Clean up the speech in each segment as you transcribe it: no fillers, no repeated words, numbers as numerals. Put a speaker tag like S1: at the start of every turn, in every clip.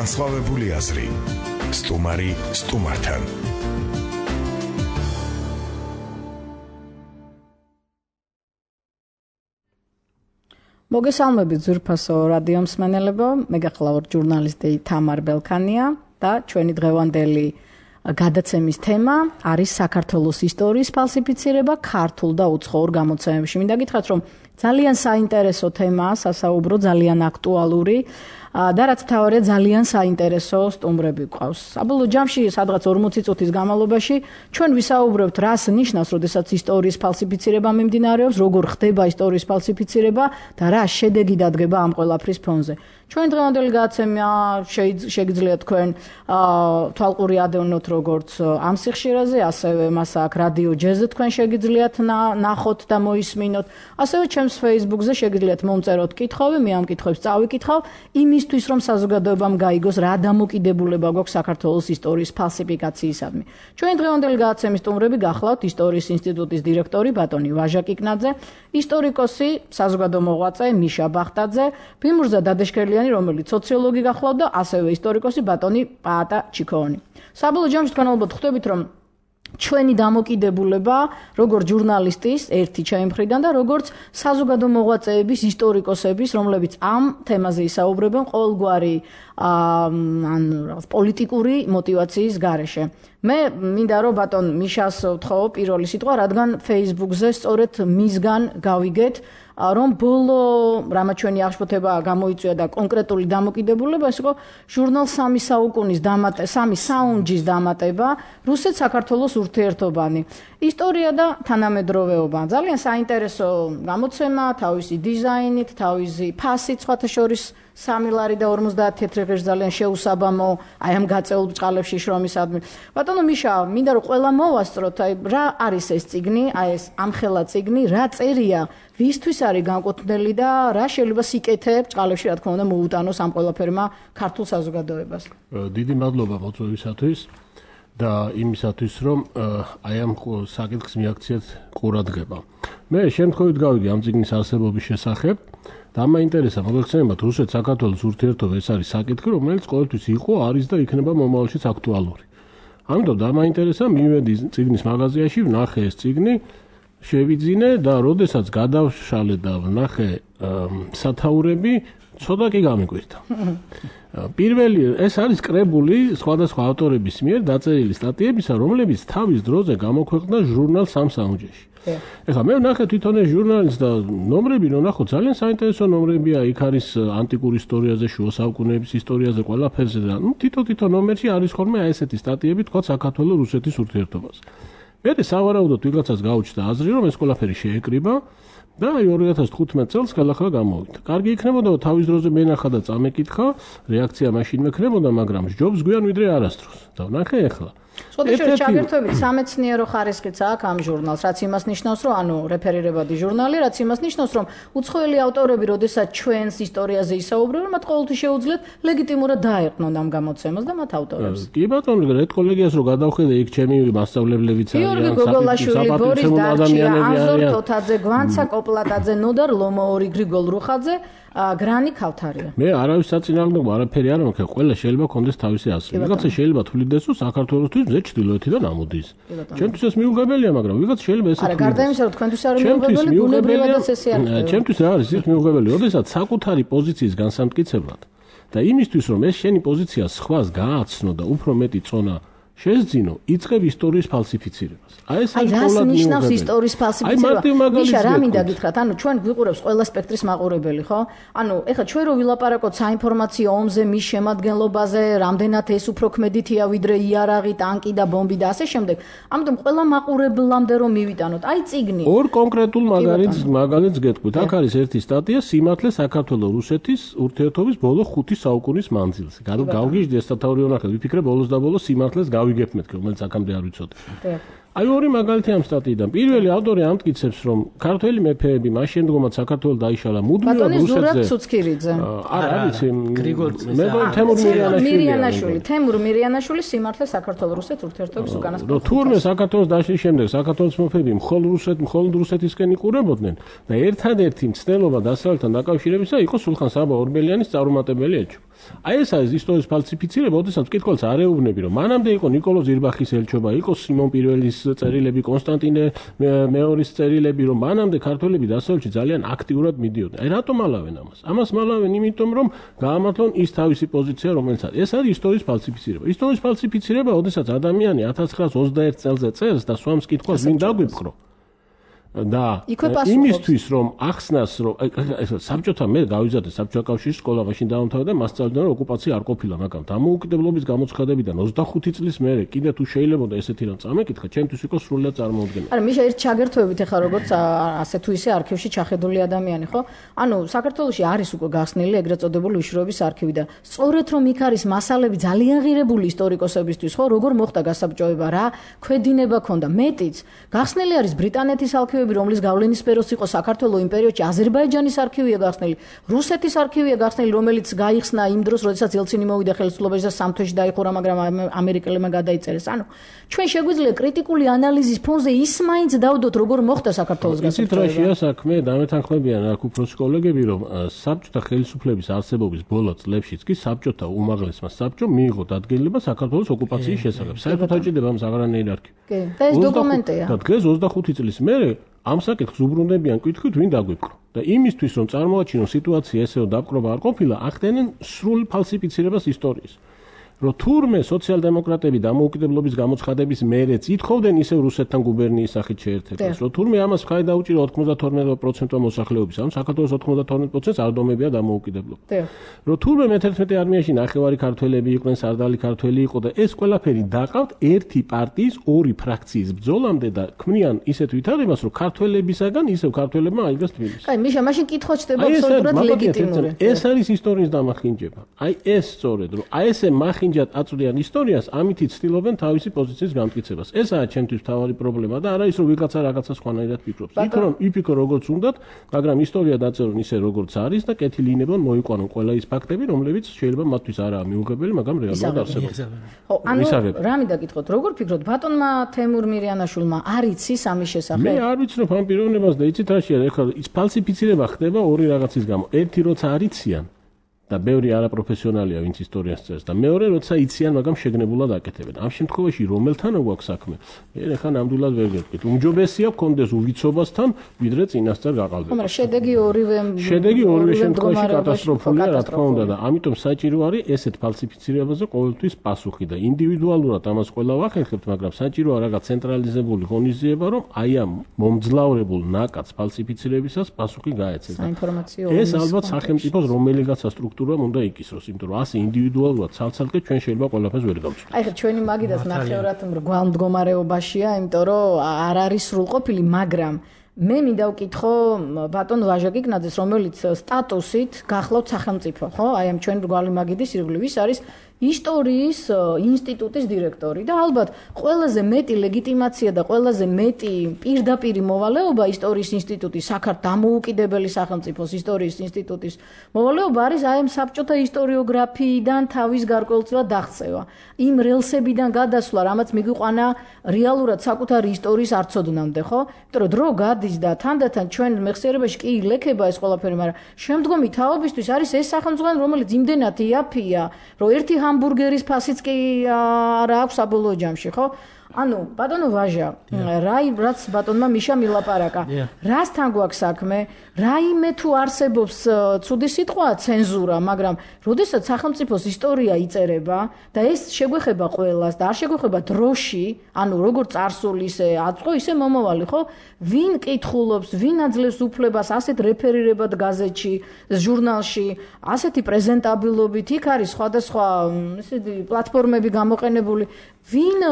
S1: განსხვავებული აზრი. სტუმარი სტუმართან.
S2: მოგესალმებით ძვირფასო რადიო მსმენელებო, მე გახლავართ ჟურნალისტი თამარ ბელქანია და ჩვენი დღევანდელი გადაცემის თემა არის საქართველოს ისტორიის ფალსიფიცირება ქართულ და უცხოურ გამოცემებში. მინდა გითხრათ, რომ ძალიან საინტერესო თემაა, სასაუბრო, ძალიან აქტუალური და რაც თავარია ძალიან საინტერესო სტუმრები გვყავს. საბოლოო ჯამში სადღაც 40 წუთის განმავლობაში ჩვენ ვისაუბრებთ, რას ნიშნავს, როდესაც ისტორიის ფალსიფიცირება მიმდინარეობს, როგორ ხდება ისტორიის ფალსიფიცირება და რა შედეგი დადგება ამ ყველაფრის ფონზე. ჩვენ დღევანდელი გადაცემა შეგიძლიათ თქვენ თვალყური ადევნოთ როგორც ამ სიხშირეზე, ასევე მას აქ რადიო ჯეზზე თქვენ შეგიძლიათ ნახოთ და მოისმინოთ. ასევე ჩემს Facebook-ზე შეგიძლიათ მომწეროთ კითხვები, მე ამ კითხვებს წავიკითხავ იმისთვის, რომ საზოგადოებამ გაიგოს რა დამოკიდებულება გვაქვს საქართველოს ისტორიის ფალსიფიკაციისადმი. ჩვენი დღევანდელი გადაცემის სტუმრები გახლავთ ისტორიის ინსტიტუტის დირექტორი ბატონი ვაჟა კიკნაძე, ისტორიკოსი, საზოგადო მოღვაწე მიშა ბახტაძე, ფიმურზა დადეშქერლიანი, რომელიც სოციოლოგი გახლავთ და ასევე ისტორიკოსი ბატონი პაატა ჩიქოვანი. საბოლოო ჯამში თქვენ ალბათ ხვდებით, რომ ჩვენი დამოკიდებულება როგორც ჟურნალისტის ერთი ჩემი მხრიდან და როგორც საზოგადო მოღვაწეების, ისტორიკოსების, რომლებიც ამ თემაზე ისაუბრებენ ყოველგვარი პოლიტიკური მოტივაციის გარეშე. მე მინდა რომ ბატონ მიშას ვთხოვო პირველი სიტყვა, რადგან Facebook-ზე სწორედ მისგან გავიგეთ, რომ ბოლო რამაც ჩვენი აღშფოთება გამოიწვია და კონკრეტული დამოკიდებულება ეს იყო ჟურნალ 3 საუკუნის სამი საუნჯის დამატება რუსეთ-საქართველოს ურთიერთობანი. ისტორია და თანამედროვეობა. ძალიან საინტერესო გამოცემა, თავისი დიზაინით, თავისი ფასით, სხვათა შორის 3 ლარი და 50 თეთრეღეში ძალიან შეუსაბამო, აი ამ გაწეულ ბჭყალებში შრომისადმი. ბატონო მიშა, მინდა რომ ყველა მოვასწროთ, აი რა არის ეს წიგნი, აი ეს ამხელა წიგნი, რა წერია, ვისთვის არის განკუთვნილი და რა შეიძლება სიკეთე ბჭყალებში, რა თქმა უნდა, მოუტანოს ამ ყველაფერმა ქართულ საზოგადოებას.
S3: დიდი მადლობა მოწვევისათვის და იმისათვის, რომ აი ამ საკითხს მიაქციეთ ყურადღება. მე შემთხვევით გავიგე ამ წიგნის არსებობის შესახებ და მაინტერესა მოგეხსენებათ რუსეთ-საქართველოს ურთიერთობა ეს არის საკითხი, რომელიც ყოველთვის იყო, არის და იქნება მომავალშიც აქტუალური. ამიტომ და მაინტერესა მივედი წიგნის მაღაზიაში, ვნახე ეს წიგნი, შევიძინე და როდესაც გადავშალე და ვნახე სათაურები, ცოტა კი გამიკვირდა. პირველი ეს არის კრებული სხვადასხვა ავტორების მიერ დაწერილი სტატიებისა, რომლებიც თავის დროზე გამოქვეყნდა ჟურნალ 3 საუნჯეში. ეხლა მე ვნახე თვითონ ეს ჟურნალის და ნომრები ვნახო, ძალიან საინტერესო ნომრებია, იქ არის ანტიკურ ისტორიაზე, შუა საუკუნეების ისტორიაზე, ყველაფერზე და თითო ნომერში არის ხოლმე აი ესეთი სტატიები, თქვა საქართველოს რუსეთის ურთიერთობას. მე სავარაუდოდ ვიღაცას გაუჩნდა აზრი, რომ ეს ყველაფერი შეეკრიბა და 2015 წელს ხელახლა გამოვიდა. კარგი იქნებოდა თავის დროზე მენახა და წამეკითხა, რეაქცია მაშინ მექნებოდა, მაგრამ ჯობს გვიან ვიდრე არასდროს. და ვნახე ეხლა.
S2: შეგიძლიათ ჩაგერთვებით სამეცნიერო ხარისხიც აქვს ამ ჟურნალს, რაც იმას ნიშნავს, რომ ანუ რეფერირებადი ჟურნალი, რაც იმას ნიშნავს, რომ უცხოელი ავტორები, როდესაც ჩვენს ისტორიაზე ისაუბრებენ, მათ ყოველთვის შეუძლიათ ლეგიტიმურად დაეყნონ ამ გამოცემას და მათ ავტორებს.
S3: კი ბატონო, რედკოლეგიას რო გადავხედე, იქ ჩემი მასწავლებლებიც არიან,
S2: გიორგი გოგოლაშვილი, ბორის დარჩია, ანზორ თოთაძე, გვანცა კოპლატაძე, ნოდარ ლომოორი, გრიგოლ რუხაძე, გრანი ქავთარია.
S3: მე არავის საწინააღმდეგო არაფერი არ მაქვს, ყველა შეიძლება კონდეს თავისი აზრი. ვიღაცა შეიძლება თვლიდეს, რომ საქართველოსთვის მზე ჩრდილოეთიდან ამოდის. ჩემთვის ეს მიუღებელია, მაგრამ ვიღაცა შეიძლება ესეც.
S2: არა, გარდა იმისა, რომ თქვენთვის არ მიუღებელი, ბუნებრივადაც ესე არ ხდება.
S3: ჩემთვის რა არის ის მიუღებელი, როდესაც საკუთარი პოზიციის განსამტკიცებლად და იმისთვის, რომ ეს შენი პოზიცია სხვას გააცნო და უფრო მეტი წონა შეძინო, იწყებ ისტორიის ფალსიფიცირებას. აი ეს არის
S2: ყოველდღიურ ნიშნავს ისტორიის ფალსიფიცირება. მიშა, რა მინდა გითხრათ, ანუ ჩვენ გვიყურებს ყველა სპექტრის მაყურებელი, ხო? ანუ ეხლა ჩვენ რო ვილაპარაკოთ საინფორმაციო ომზე, მის შემადგენლობაზე, რამდენად ეს უფრო ქმედითია ვიდრე იარაღი, ტანკი და ბომბი და ასე შემდეგ. ამიტომ ყველა მაყურებლამდე რომ მივიტანოთ, აი წიგნი.
S3: ორ კონკრეტულ მაგალითს გეტყვით. აქ არის ერთი სტატია სიმართლე საქართველოს-რუსეთის ურთიერთობის ბოლო 5 საუკუნის მანძილზე. გავგიჟდი ეს სათაური ვნახე, ვიფიქრე ბოლოს და ბოლოს სიმართლეს გავიგებ მეთქე, რომელიც აქამდე არ ვიცოდი. აი ორი მაგალითი ამ სტატიიდან. პირველი ავტორი ამტკიცებს, რომ ქართველი მეფეები მას შემდგომაც საქართველოს დაიშალა მუდმივად რუსეთზე.
S2: ბატონი ზურაბ ცუცქირიძე.
S3: არა, ვიცი.
S2: მე თემურ მირიანაშვილი სიმართლე საქართველოს-რუსეთ ურთიერთობის უკანასკნელი.
S3: თურმე საქართველოს დაშლის შემდეგ საქართველოს მეფეები მხოლოდ რუსეთისკენ იყურებოდნენ და ერთადერთი მცდელობა დასავლეთთან დაკავშირებისა იყო სულხან საბა ორბელიანის წარუმატებელი ეჭვ. აი ეს არის ისტორიის ფალსიფიცირება, ოდესაც მკითხველს არ ეუბნები, რომ მანამდე იყო ნიკოლო ზირბახის ელჩობა, იყო სიმონ პირველის წერილები, კონსტანტინე მეორის წერილები, რომ მანამდე ქართველები დასავლეთში ძალიან აქტიურად მიდიოდნენ. აი რატომ ალავენ ამას? ამას მალავენ იმიტომ, რომ გაამართლონ ის თავისი პოზიცია, რომელიც არის. ეს არის ისტორიის ფალსიფიცირება. ისტორიის ფალსიფიცირება, ოდესაც ადამიანი 1921 წელზე წერს და სვამს კითხვას, ვინ დაგვიფხრო. და იმისთვის რომ ახსნას რომ საბჭოთა მე გავიზარდე საბჭოთა კავშირის სკოლა მაშინ დაამთავრა და მასწავლდნენ რომ ოკუპაცია არ ყოფილა მაგრამ დამოუკიდებლობის გამოცხადებიდან 25 წლის მერე კიდე თუ შეიძლებოდა ესეთი რამ წამეკითხა ჩემთვის იყო სრულიად წარმოუდგენელი.
S2: არა მიშა ერთ ჩაგერთვებით ახლა როგორც ასე თუ ისე არქივში ჩახედული ადამიანი ხო? ანუ საქართველოში არის უკვე გახსნილი ეგრეთ წოდებული უშუალობის არქივი და სწორედ რომ იქ არის მასალები ძალიან ღირებული ისტორიკოსებისთვის ხო როგორ მოხდა გასაბჭოება რა ქვედინება ქონდა მეტიც გახსნილი არის ბრიტანეთის არქივი რომლის გავლენის სფეროს იყო საქართველოს იმპერიოში აზერბაიჯანის არქივია გახსნილი, რუსეთის არქივია გახსნილი, რომელიც გაიხსნა იმ დროს, როდესაც ელცინი მოვიდა ხელისუფლებაში და სამ თვეში დაიხურა, მაგრამ ამერიკელებმა გადაიწერეს. ანუ ჩვენ შეგვიძლია კრიტიკული ანალიზის ფონზე ის მაინც დავდოთ, როგორ მოხდა საქართველოს გასაბჭოება.
S3: ისეთ რაშია საქმე, დამეთანხმებიან აქ უფროსი კოლეგები, რომ საბჭოთა ხელისუფლების არსებობის ბოლო წლებშიც კი საბჭოთა უმაღლესმა საბჭომ მიიღო დადგენილება საქართველოს ოკუპაციის შესახებ. საერთოდ აჭირდება ამ საღრანეირ არქივი.
S2: კი, და ეს დოკუმენტია.
S3: და დღეს 25 წლის მერე ამ საკითხს უბრუნდებიან კითხვით ვინ დაგვიფხრო და იმისთვის რომ წარმოაჩინონ სიტუაცია ესეო დაპყრობა არ ყოფილა ახდენენ სრულ ფალსიფიცირებას ისტორიის რომ თურმე სოციალ-დემოკრატები დამოუკიდებლობის გამოცხადების მერეც ითხოვდნენ ისევ რუსეთთან გუბერნიის სახით შეერთებას რომ თურმე ამას ხაი დაუჭირო 92% მოსახლეობის ანუ საქართველოს 92%-ს არ დომებია დამოუკიდებლობა რომ თურმე მე-11 არმიაში ნახევარი ქართველები იყვნენ სარდალი ქართველი იყო და ეს ყველაფერი დაყავთ ერთი პარტიის ორი ფრაქციის ბრძოლამდე და ქმნიან ისეთ ვითარებას რომ ქართველებისაგან ისევ ქართველებმა აიღეს თბილისი.
S2: კაი მიშა მაშინ კითხვა ჩდება აბსოლუტურად ლეგიტიმური.
S3: ეს არის ისტორიის დამახინჯება. აი ეს სწორედ რომ აი ესე მახინჯება აწვდიან ისტორიას, ამით იცდილობენ თავისი პოზიციის გამტკიცებას. ესაა ჩემთვის მთავარი პრობლემა და არა ის რომ ვიღაცა რაღაცა სხვანაირად ფიქრობს. იფიქრო როგორც უნდათ, მაგრამ ისტორია დაწერონ ისე როგორც არის და კეთილი ინებონ მოიყვანონ ყველა ის ფაქტები, რომლებიც შეიძლება მათთვის არაა მიუღებელი, მაგრამ რეალურად არსებობს.
S2: ხო, ანუ რა მინდა გითხოთ, როგორ ფიქრობთ ბატონმა თემურ მირიანაშვილმა არ იცის ამის შესახებ?
S3: მე არ ვიცნობ ამ პიროვნებას და იცით რაშია, ეხლა ის ფალსიფიცირება ხდება ორი რაღაცის გამო. ერთი როცა არ იციან და ბევრი არაპროფესიონალია ვინც ისტორიას წერს და მეორე როცა იციან მაგრამ შეგნებულად აკეთებენ. ამ შემთხვევაში რომელთან გვაქვს საქმე? მე ხან ნამდვილად ვერ გეტყვით. უმჯობესია გქონდეს უვიცობასთან, ვიდრე წინასწარ გაყალბება.
S2: მაგრამ შედეგი ორივე
S3: შემთხვევაში კატასტროფულია რა თქმა უნდა და ამიტომ საჭირო არის ესეთ ფალსიფიცირებაზე ყოველთვის პასუხი და ინდივიდუალურად ამას ყველა ვახერხებთ, მაგრამ საჭიროა რაღაც ცენტრალიზებული ღონისძიება, რომ აი ამ მომძლავრებულ ნაკადს ფალსიფიცირებისას პასუხი გაეცეს. ეს ალბათ სახელმწიფოს რომელიღაცა სტრუქტურამ უნდა იკისროს, იმიტომ რომ ასე ინდივიდუალურად ცალ-ცალკე ჩვენ შეიძლება ყველაფერს ვერ გავწვდით.
S2: აი ხა ჩვენი მაგიდას ნახევრად მრგვალ მდგომარეობაშია, იმიტომ რომ არ არის სრულყოფილი, მაგრამ მე მინდა ვკითხო ბატონ ვაჟა გიგნაძეს, რომელიც სტატუსით გახლავთ სახელმწიფო, ხო? აი ამ ჩვენი მრგვალი მაგიდის ირგვლივ ის არის ისტორიის ინსტიტუტის დირექტორი და ალბათ ყველაზე მეტი ლეგიტიმაცია და ყველაზე მეტი პირდაპირი მოვალეობა ისტორიის ინსტიტუტის საქართველოს დამოუკიდებელი სახელმწიფოს ისტორიის ინსტიტუტის მოვალეობა არის აი ამ საბჭოთა ისტორიოგრაფიიდან თავის გარკვეულწილად დაღწევა. იმ რელსებიდან გადასვლა, რამაც მიგვიყვანა რეალურად საკუთარი ისტორიის არცოდნამდე, ხო? იმიტომ რომ დრო გადის და თანდათან ჩვენ მეხსიერებაში კი ლექება ეს ყველაფერი, მაგრამ შემდგომი თაობისთვის არის ეს სახელმწიფო, რომელიც იმდენად იაფია, რომ ერთი ჰამბურგერის ფასიც კი არ აქვს საბოლოო ჯამში, ხო? ანუ ბატონო ვაჟა, რაც ბატონმა მიშა მილაპარაკა, რასთან გვაქვს საქმე? რაიმე თუ არსებობს ცუდი სიტყვა ცენზურა, მაგრამ როდესაც სახელმწიფოს ისტორია იწერება და ეს შეგვეხება ყველას და არ შეგვეხება დროში, ანუ როგორ წარსული ისე აწყო, ისე მომავალი, ხო? ვინ კითხულობს, ვინ აძლევს უფლებას ასეთ რეფერირებად გაზეთში, ჟურნალში, ასეთი პრეზენტაბილობით, იქ არის სხვადასხვა ესეთი პლატფორმები გამოყენებული, ვინ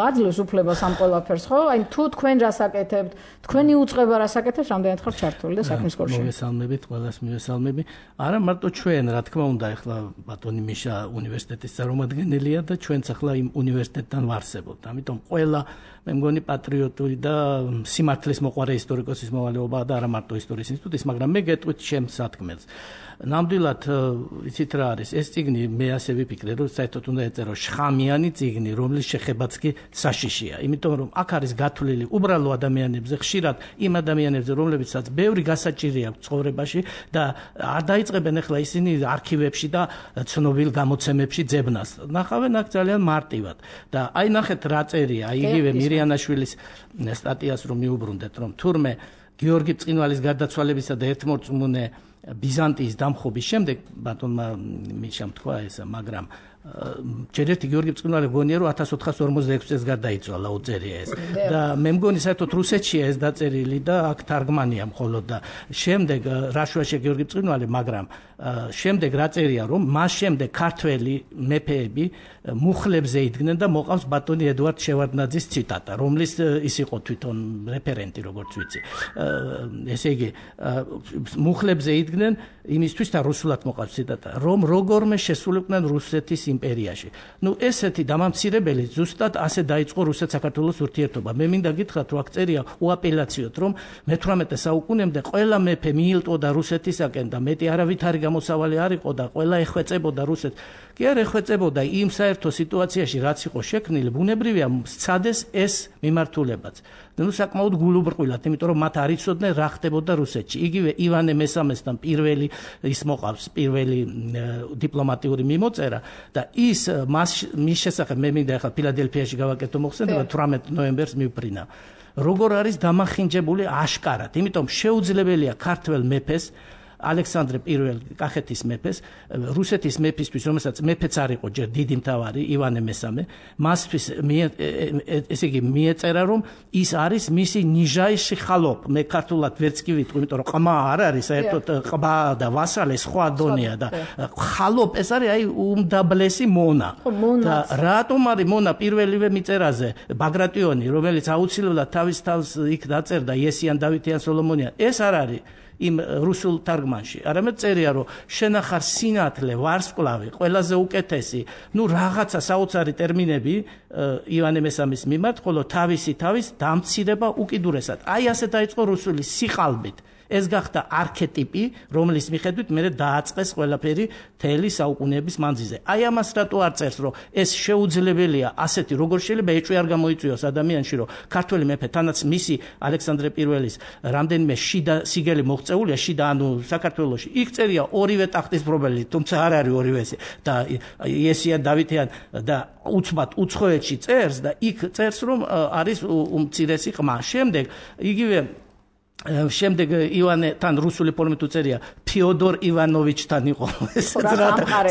S2: აძლევს უფლებას ამ ყველაფერს, ხო? აი თუ თქვენ რას აკეთებთ, თქვენი უწყება რას აკეთებს, რამდენად ხარ ჩართული და საქმის სკოლაში.
S4: მოგესალმებით, ყველას მივესალმები. არა მარტო ჩვენ, რა თქმა უნდა, ახლა ბატონი მიშა უნივერსიტეტის წარმომადგენელია და ჩვენც ახლა იმ უნივერსიტეტთან ვარსებობთ. ამიტომ ყველა მე მგონი პატრიოტული და სიმართლის მოყვარე ისტორიკოსის მოვალეობაა და არა მარტო ისტორიის ინსტიტუტის, მაგრამ მე გეტყვით ჩემს სათქმელს. ნამდვილად იცით რა არის ეს წიგნი, მე ასე ვიფიქრე, რომ საერთოდ უნდა ეწერო შხამიანი წიგნი, რომლის შეხებაც კი საშიშია, იმიტომ რომ აქ არის გათვლილი უბრალო ადამიანებზე, ხშირად იმ ადამიანებზე, რომლებიცაც ბევრი გასაჭირი აქვს ცხოვრებაში და არ დაიწყებენ ახლა ისინი არქივებში და ცნობილ გამოცემებში ძებნას. ნახავენ აქ ძალიან მარტივად და აი ნახეთ რა წერია, იგივე მირიანაშვილის სტატიას რომ მიუბრუნდეთ, რომ თურმე გიორგი ბრწყინვალის გარდაცვალებისა და ერთმორწმუნე ბიზანტიის დამხობის შემდეგ ბატონმა მიშამ თქვა ესა, მაგრამ ჯერ ერთი გიორგი ბრწყინვალე გონია რომ 1446 წელს გარდაიცვალა, უწერია ეს. და მე მგონი საერთოდ რუსეთშია ეს დაწერილი და აქ თარგმანია მხოლოდ და შემდეგ რაშვაში გიორგი ბრწყინვალე, მაგრამ შემდეგ რა წერია რომ მას შემდეგ ქართველი მეფეები მუხლებზე იდგნენ და მოყავს ბატონი ედუარდ შევარდნაძის ციტატა, რომლის ის იყო თვითონ რეფერენტი, როგორც ვიცი. ესე იგი მუხლებზე იდგნენ იმისთვის და რუსულად მოყავს ციტატა, რომ როგორმე შესულიყვნენ რუსეთის იმპერიაში. ნუ ესეთი დამამცირებელი ზუსტად ასე დაიწყო რუსეთ-საქართველოს ურთიერთობა. მე მინდა გითხრათ, რომ აქ წერია უაპელაციოდ, რომ მე-18 საუკუნემდე ყველა მეფე მიილტვოდა რუსეთისაკენ და მეტი არავითარი გამოსავალი არ იყო და ყველა ეხვეწებოდა რუსეთს. კი არ ეხვეწებოდა იმ საერთო სიტუაციაში, რაც იყო შექმნილი, ბუნებრივია სცადეს ეს მიმართულებაც. ნუ საკმაოდ გულუბრყვილად, იმიტომ რომ მათ არ იცოდნენ რა ხდებოდა რუსეთში. იგივე ივანე მესამესთან პირველი ის მოყავს, პირველი დიპლომატიური მიმოწერა და ის მის შესახებ მე მინდა ახლა ფილადელფიაში გავაკეთო მოხსენება 18 ნოემბერს მივფრინა. როგორ არის დამახინჯებული აშკარად, იმიტომ შეუძლებელია ქართველ მეფეს ალექსანდრე პირველ კახეთის მეფეს, რუსეთის მეფისთვის, რომელსაც მეფეც არ იყო ჯერ დიდი მთავარი ივანე მესამე, მასთვის ესე იგი მიეწერა რომ ის არის მისი ნიჟაიში ხალოპ. მე ქართულად ვერც კი ვიტყვი, იმიტომ რომ ყმა არ არის, საერთოდ ყმა და ვასალე სხვა დონეა და ხალოპ ეს არის აი უმდაბლესი მონა. და რატომ არის მონა პირველივე მიწერაზე ბაგრატიონი, რომელიც აუცილებლად თავის თავს იქ დაწერდა იესიან დავითიან სოლომონიან, ეს არ არის იმ რუსულ თარგმანში. არამედ წერია რომ შენახარ სინათლე, ვარსკვლავი, ყველაზე უკეთესი, ნუ რაღაცა საოცარი ტერმინები ივანე მესამის მიმართ, ხოლო თავისი თავის დამცირება უკიდურესად. აი ასე დაიწყო რუსული სიყალბით. ეს გახდა არქეტიპი, რომლის მიხედვით მე დააწყეს ყველაფერი თელი საუკუნეების მანძილზე. აი ამას რატო არ წერს, რომ ეს შეუძლებელია ასეთი, როგორ შეიძლება ეჭვი არ გამოიწვიოს ადამიანში, რომ ქართველი მეფე თანაც მისი ალექსანდრე პირველის რამდენიმე შიდა სიგელი მოღწეულია, შიდა ანუ საქართველოში. იქ წერია ორივე ტახტის მფლობელი, თუმცა არ არის ორივესი და იესიან დავითიან და უცბად უცხოეთში წერს და იქ წერს, რომ არის უმცირესი ყმა. შემდეგ ივანეთან რუსული ფორმით უწერია ფიოდორ ივანოვიჩთან იყო ეს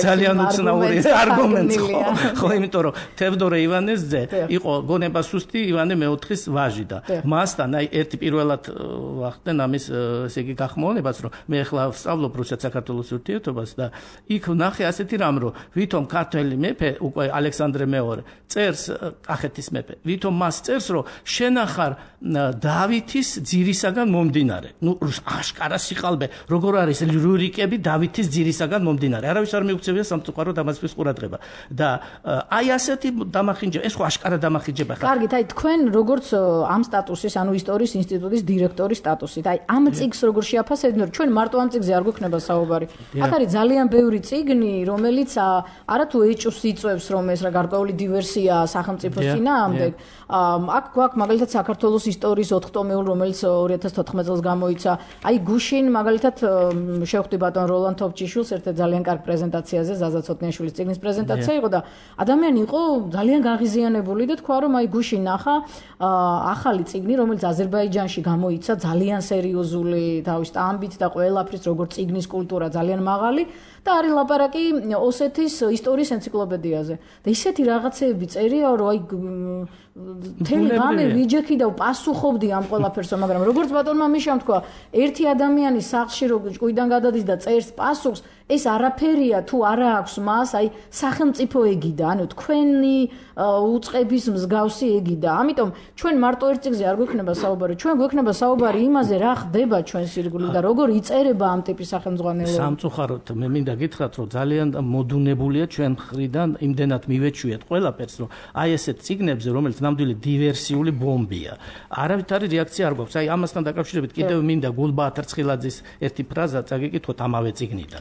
S4: ძალიან უცნაური არგუმენტი ხო იმიტომ რომ თევდორე ივანესძე იყო გონება სუსტი ივანე მეოთხის ვაჟი და მასთან აი ერთი პირველად ვახდნენ ამის ესე იგი გახმოვანებას რომ მე ახლა ვსწავლობ რუსეთ-საქართველოს ურთიერთობას და იქ ვნახე ასეთი რამ რომ ვითომ ქართველი მეფე უკვე ალექსანდრე მეორე წერს კახეთის მეფე ვითომ მას წერს რომ შენახარ დავითის ძირისაგან მომდინარე. ნუ აშკარა სიყალბე, როგორ არის რურიკები დავითის ძირისაგან მომდინარე. არავის არ მიუქცევია სამწუხარო დამასკის ყურადღება. და აი ასეთი დამახინჯება, ეს ხო აშკარა დამახინჯება ხარ.
S2: კარგით, აი თქვენ როგორც ამ სტატუსის, ანუ ისტორიის ინსტიტუტის დირექტორის სტატუსით, აი ამ წიგნს როგორ შეაფასებთ, ჩვენ მარტო ამ წიგნზე არ გვექნება საუბარი. აქ არის ძალიან ბევრი წიგნი, რომელიც არათუ ეჭვს იწვევს, რომ ეს რა გარკვეული დივერსია სახელმწიფოს წინააღმდეგ. აქ გვაქვს მაგალითად საქართველოს ისტორიის 4 ტომეულ, რომელიც 2014 წელს გამოიცა. აი გუშინ მაგალითად შევხვდი ბატონ როლან თოფჩიშვილს ერთ ძალიან კარგ პრეზენტაციაზე, ზაზა ცოტნიაშვილის წიგნის პრეზენტაცია იყო და ადამიანი იყო ძალიან გაღიზიანებული და თქვა რომ აი გუშინ ნახა ახალი წიგნი, რომელიც აზერბაიჯანში გამოიცა, ძალიან სერიოზული თავის ამბით და ყველაფრის როგორც წიგნის კულტურა ძალიან მაღალი და არის ლაპარაკი ოსეთის ისტორიის ენციკლოპედიაზე. და ისეთი რაღაცეები წერია, რომ აი მთელი ღამე ვიჯექი და პასუხობდი ამ ყველაფერსო, მაგრამ როგორც ბატონმა მიშამ თქვა, ერთი ადამიანი სახლში რო ჭკუიდან გადადის და წერს პასუხს, ეს არაფერია თუ არა აქვს მას, აი სახელმწიფო ეგიდა, ანუ თქვენი უწყების მსგავსი ეგიდა. ამიტომ ჩვენ მარტო ერთ წიგნზე არ გვექნება საუბარი, ჩვენ გვექნება საუბარი იმაზე, რა ხდება ჩვენს ირგვლივ და როგორ იწერება ამ ტიპის სახელმძღვანელოება.
S4: სამწუხაროდ მე მინდა გითხრათ, რომ ძალიან მოდუნებულია ჩვენ მხრიდან იმდენად მივეჩვიეთ ყველაფერს, რომ აი ესეთ წიგნებზე, რომელიც ნამდვილი დივერსიული ბომბია. არავითარი რეაქცია არ გვაქვს. აი ამასთან დაკავშირებით კიდევ მინდა გულბაათ რცხილაძის ერთი ფრაზა წაგიკითხოთ ამავე წიგნიდან.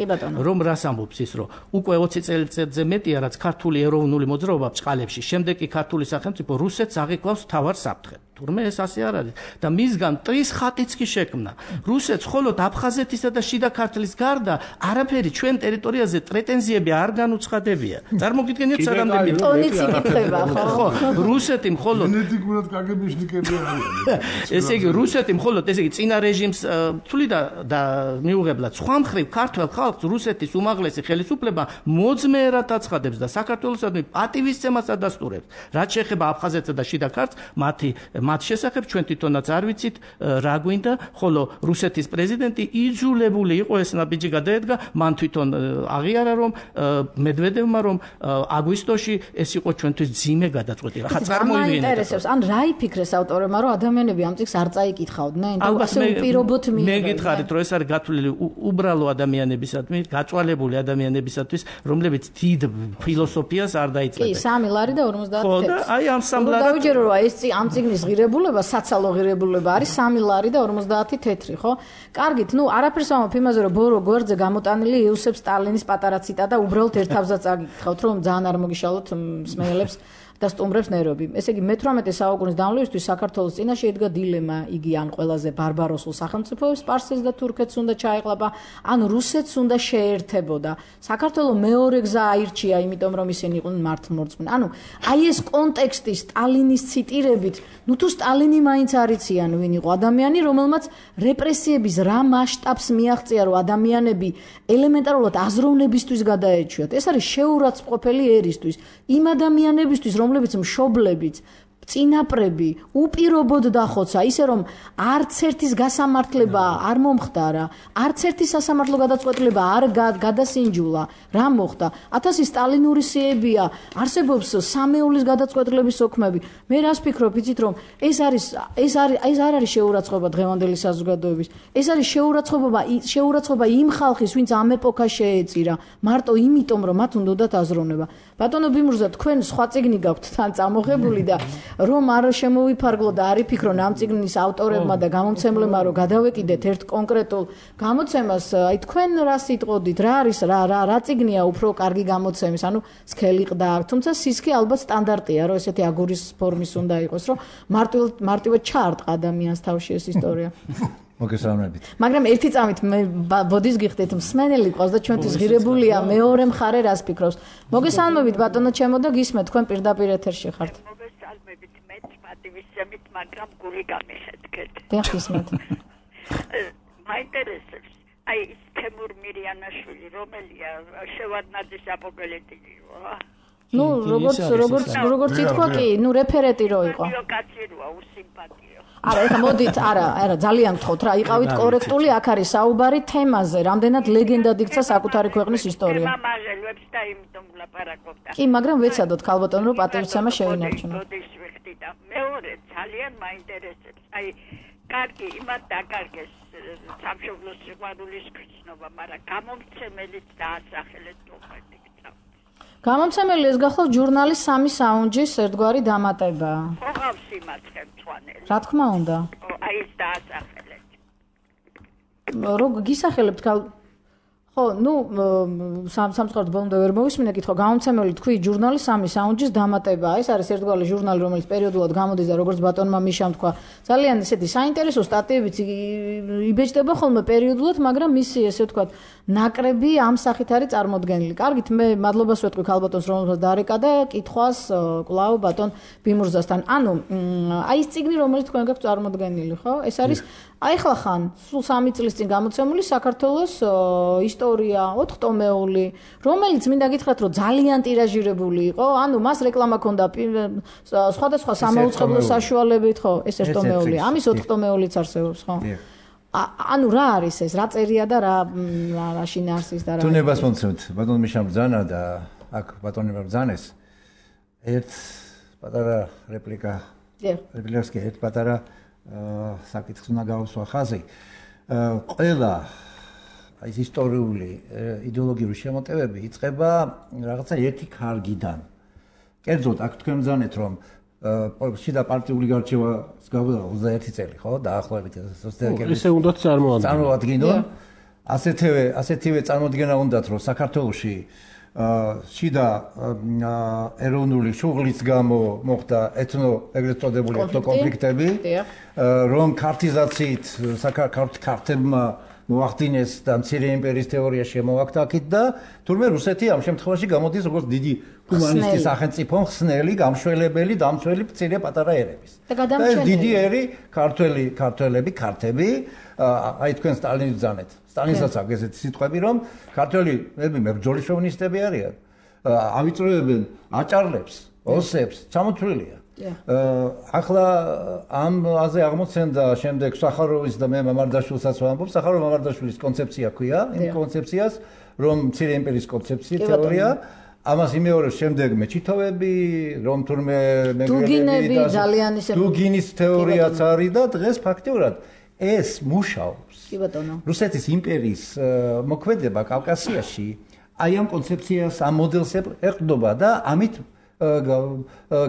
S4: რომ რას ამბობს ის, რომ უკვე 20 წელიწადზე მეტია რაც ქართული ეროვნული მოძრაობა ბჭყალებში, შემდეგ კი ქართული სახელმწიფო რუსეთს აღიქვავს მთავარ საფრთხედ. თურმე ეს ასე არ არის და მისგან ტრის ხატიც კი შექმნა. რუსეთს მხოლოდ აფხაზეთისა და შიდა ქართლის გარდა არაფერი ჩვენ ტერიტორიაზე პრეტენზიები არ განუცხადებია. წარმოგიდგენიათ საგამდენი
S2: ტონიც იკითხება ხო?
S4: რუსეთი მხოლოდ
S5: გენეტიკურად კაგებიშნიკები არიან.
S4: ესე იგი რუსეთი მხოლოდ ესე იგი წინა რეჟიმს თვლიდა და მიუღებლად სხვა მხრივ ქართულ ხალხს რუსეთის უმაღლესი ხელისუფლება მოძმეერად აცხადებს და საქართველოსადმი პატივისცემას ადასტურებს. რაც შეეხება აფხაზეთსა და შიდა ქართლს, მათ შესახებ ჩვენ თვითონაც არ ვიცით რა გვინდა, ხოლო რუსეთის პრეზიდენტი იძულებული იყო ეს ნაბიჯი გადაედგა, მან თვითონ აღიარა რომ მედვედევმა რომ აგვისტოში ეს იყო ჩვენთვის ძიმე გადაწყვეტილება. ხა წარმოიდგინეთ.
S2: ინტერესებს, ან რა იფიქრეს ავტორებმა რომ ადამიანები ამ წიგნს არ წაიკითხავდნენ, თუ ასე უპირობოდ მიიღებდნენ.
S4: მე გითხარით რომ ეს არის გათვლილი უბრალო ადამიანებისადმი, გაწვალებული ადამიანებისათვის, რომლებიც დიდ ფილოსოფიას არ დაიწყებენ.
S2: კი, 3 ლარი და 50
S4: ხო და აი ამ 3 ლარი
S2: დავიჯერო რომ ეს ამ წიგნის ღირებულება, საცალო ღირებულება არის 3 ლარი და 50 თეთრი, ხო? კარგით, ნუ არაფერს ამბობ იმაზე რომ ბორო გვერდზე გამოტანილი იოსებ სტალინის პატარა ციტატა უბრალოდ ერთ თავზად წაგიკითხავთ რომ ძალიან არ მოგიშალოთ მსმენელებს და სტუმრებს ნერვები. ესე იგი მე-18 საუკუნის დამლევისთვის საქართველოს წინაშე ედგა დილემა, იგი ან ყველაზე ბარბაროსულ სახელმწიფოებს სპარსეთს და თურქეთს უნდა ჩაეყლაპა, ან რუსეთს უნდა შეერთებოდა. საქართველოს მეორე გზა აირჩია, იმიტომ რომ ისინი იყვნენ მართლმორწმუნე. ანუ აი ეს კონტექსტი სტალინის ციტირებით, ნუ თუ სტალინი მაინც არ იციან ვინ იყო ადამიანი, რომელმაც რეპრესიების რა მასშტაბს მიაღწია, რომ ადამიანები ელემენტარულად აზროვნებისთვის გადაეჩვიათ. ეს არის შეურაცხმყოფელი ერისთვის, იმ ადამიანებისთვის რომლებიც მშობლებიც წინაპრები უპირობოდ დახოცა, ისე რომ არც ერთის გასამართლება არ მომხდარა, არც ერთი სასამართლო გადაწყვეტილება არ გადასინჯულა. რა მოხდა? 1000 სტალინური სიებია, არსებობს სამეულის გადაწყვეტილების ოქმები. მე რას ფიქრობ, იცით რომ ეს არ არის შეურაცხყოფა დღევანდელი საზოგადოების. ეს არის შეურაცხყოფა იმ ხალხის, ვინც ამ ეპოქას შეეწირა, მარტო იმიტომ რომ მათ უნდათ აზროვნება. ბატონო ბიმურზა, თქვენ სხვა წიგნი გაქვთ თან წამოღებული და რომ არ შემოვიფარგლო და არ იფიქრონ ამ წიგნის ავტორებმა და გამომცემლებმა რომ გადავეკიდეთ ერთ კონკრეტულ გამოცემას, აი თქვენ რა სიტყოდით, რა არის რა წიგნია უფრო კარგი გამოცემის, ანუ სქელი ყდა აქვს, თუმცა სისქე ალბათ სტანდარტია, რომ ესეთი აგურის ფორმის უნდა იყოს, რომ მარტივად ჩაარტყა ადამიანს თავში ეს ისტორია.
S6: მოგესალმებით.
S2: მაგრამ ერთი წამით მე ბოდის გიხდით, მსმენელი ყავს და ჩვენთვის ღირებულია მეორე მხარე რას ფიქრობს. მოგესალმებით ბატონო ჩემო და გისმენთ, თქვენ პირდაპირ ეთერში ხართ.
S7: მოგესალმებით, მეც პატივისცემით, მაგრამ გული გამიხეთქეთ.
S2: დიახ, გისმენთ.
S7: მაინტერესებს, აი ის თემურ მირიანაშვილი, რომელია შევარდნაძის აპოგელეტი იყო.
S2: ნუ როგორც ითქვა კი, ნუ რეფერენტი რო იყო.
S7: კაციროა, უსიმპათიო.
S2: არა, ეხლა მოდით, არა, ძალიან გთხოვთ რა, იყავით კორექტული, აქ არის საუბარი თემაზე, რამდენად ლეგენდად იქცა საკუთარი ქვეყნის ისტორია.
S7: მამაჟელებს და იმიტომ ვლაპარაკობდა.
S2: კი, მაგრამ ვეცადოთ ქალბატონო, რომ პატივისცემა შევინარჩუნოთ.
S7: მეორე ძალიან მაინტერესებს. აი, კარგი, იმათ დაკარგეს სამშობლოს სიყვარულის გრძნობა, მაგრამ გამომცემელიც დაასახელეთ მოხდით.
S2: გამომცემელი ეს გახლავთ ჟურნალის 3 საუნჯის ერთგვარი დამატება.
S7: ხო, ყავს იმაცხე მწვანელი.
S2: რა თქმა უნდა.
S7: აი ეს დაასახელეთ.
S2: რო გისახელებთ ხო, ნუ სამწუხაროდ ბოლომდე ვერ მოვისმინე კითხვა, გამომცემელი თქვი ჟურნალის 3 საუნჯის დამატება. ეს არის ერთგვარი ჟურნალი, რომელიც პერიოდულად გამოდის და როგორც ბატონმა მიშამ თქვა, ძალიან ესეთი საინტერესო სტატიებიც იბეჭდება ხოლმე პერიოდულად, მაგრამ მისი ესე ვთქვათ, ნაკრები ამ სახით არის წარმოდგენილი. კარგით, მე მადლობას ვეთქვი ქალბატონს, რომელსაც დაარეკა და კითხვას კვლავ ბატონ ბიმურზასთან. ანუ აი ეს წიგნი, რომელიც თქვენ გაქვთ წარმოდგენილი, ხო? ეს არის ახლა ხან სულ 3 წლის წინ გამოცემული საქართველოს ისტორია 4 ტომეული, რომელიც მინდა გითხრათ, რომ ძალიან ტირაჟირებული იყო. ანუ მას რეკლამა ჰქონდა სხვადასხვა სამაუწყებლო საშუალებით, ხო? ეს 1 ტომეული, ამის 4 ტომეულიც არსებობს, ხო? ანუ რა არის ეს, რა წერია და რა შინაარსის და რა.
S6: თუნებას მომცემთ, ბატონ მიშამ ბრძანა და აქ ბატონებმა ბრძანეს. ერთ პატარა რეპლიკა. რეპლიკას კი ერთ პატარა საკითხს უნდა გავუსვა ხაზი. ყველა ეს ისტორიული იდეოლოგიური შემოტევები იწყება რაღაცა ერთი ქარგიდან. კერძოდ აქ თქვენ ბრძანეთ, რომ შიდა პარტიული გარჩევას გავიდა 21 წელი, ხო? დაახლოებით სოციალისტების.
S3: ესე უნდათ
S6: წარმოადგინონ. ასეთივე წარმოდგენა უნდათ, რომ საქართველოში შიდა ეროვნული შუღლის გამო მოხდა ეგრეთ წოდებული ეთნოკონფლიქტები, რომ ქართიზაციით ქართებმა მოახდინეს და მცირე იმპერიის თეორია შემოაქთ აქეთ და თურმე რუსეთი ამ შემთხვევაში გამოდის როგორც დიდი ჰუმანისტის სახელმწიფო ხსნელი, გამშველებელი, დამცველი მცირე პატარა ერების. და ეს დიდი ერი ქართები, აი თქვენ სტალინს ბრძანეთ. სტალინსაც აქვს ესეთი სიტყვები, რომ ქართველები მებრძოლი შოვინისტები არიან. ავიწროებენ აჭარლებს, ოსებს, ჩამოთვლილია. ახლა ამაზე აღმოცენდა შემდეგ სახაროვის და მე მამარდაშვილსაც ვამბობ, სახაროვ მამარდაშვილის კონცეფცია ქვია, იმ კონცეფციას, რომ მცირე იმპერიის კონცეფცია, თეორია, ამას იმეორებს შემდეგ მეჩითოვები, რომ თურმე მეგრელები და დუგინის თეორიაც არის და დღეს ფაქტიურად ეს მუშაობს.
S2: კი ბატონო.
S6: რუსეთის იმპერიის მოქმედება კავკასიაში აი ამ კონცეფციას, ამ მოდელს ეყრდნობა და ამით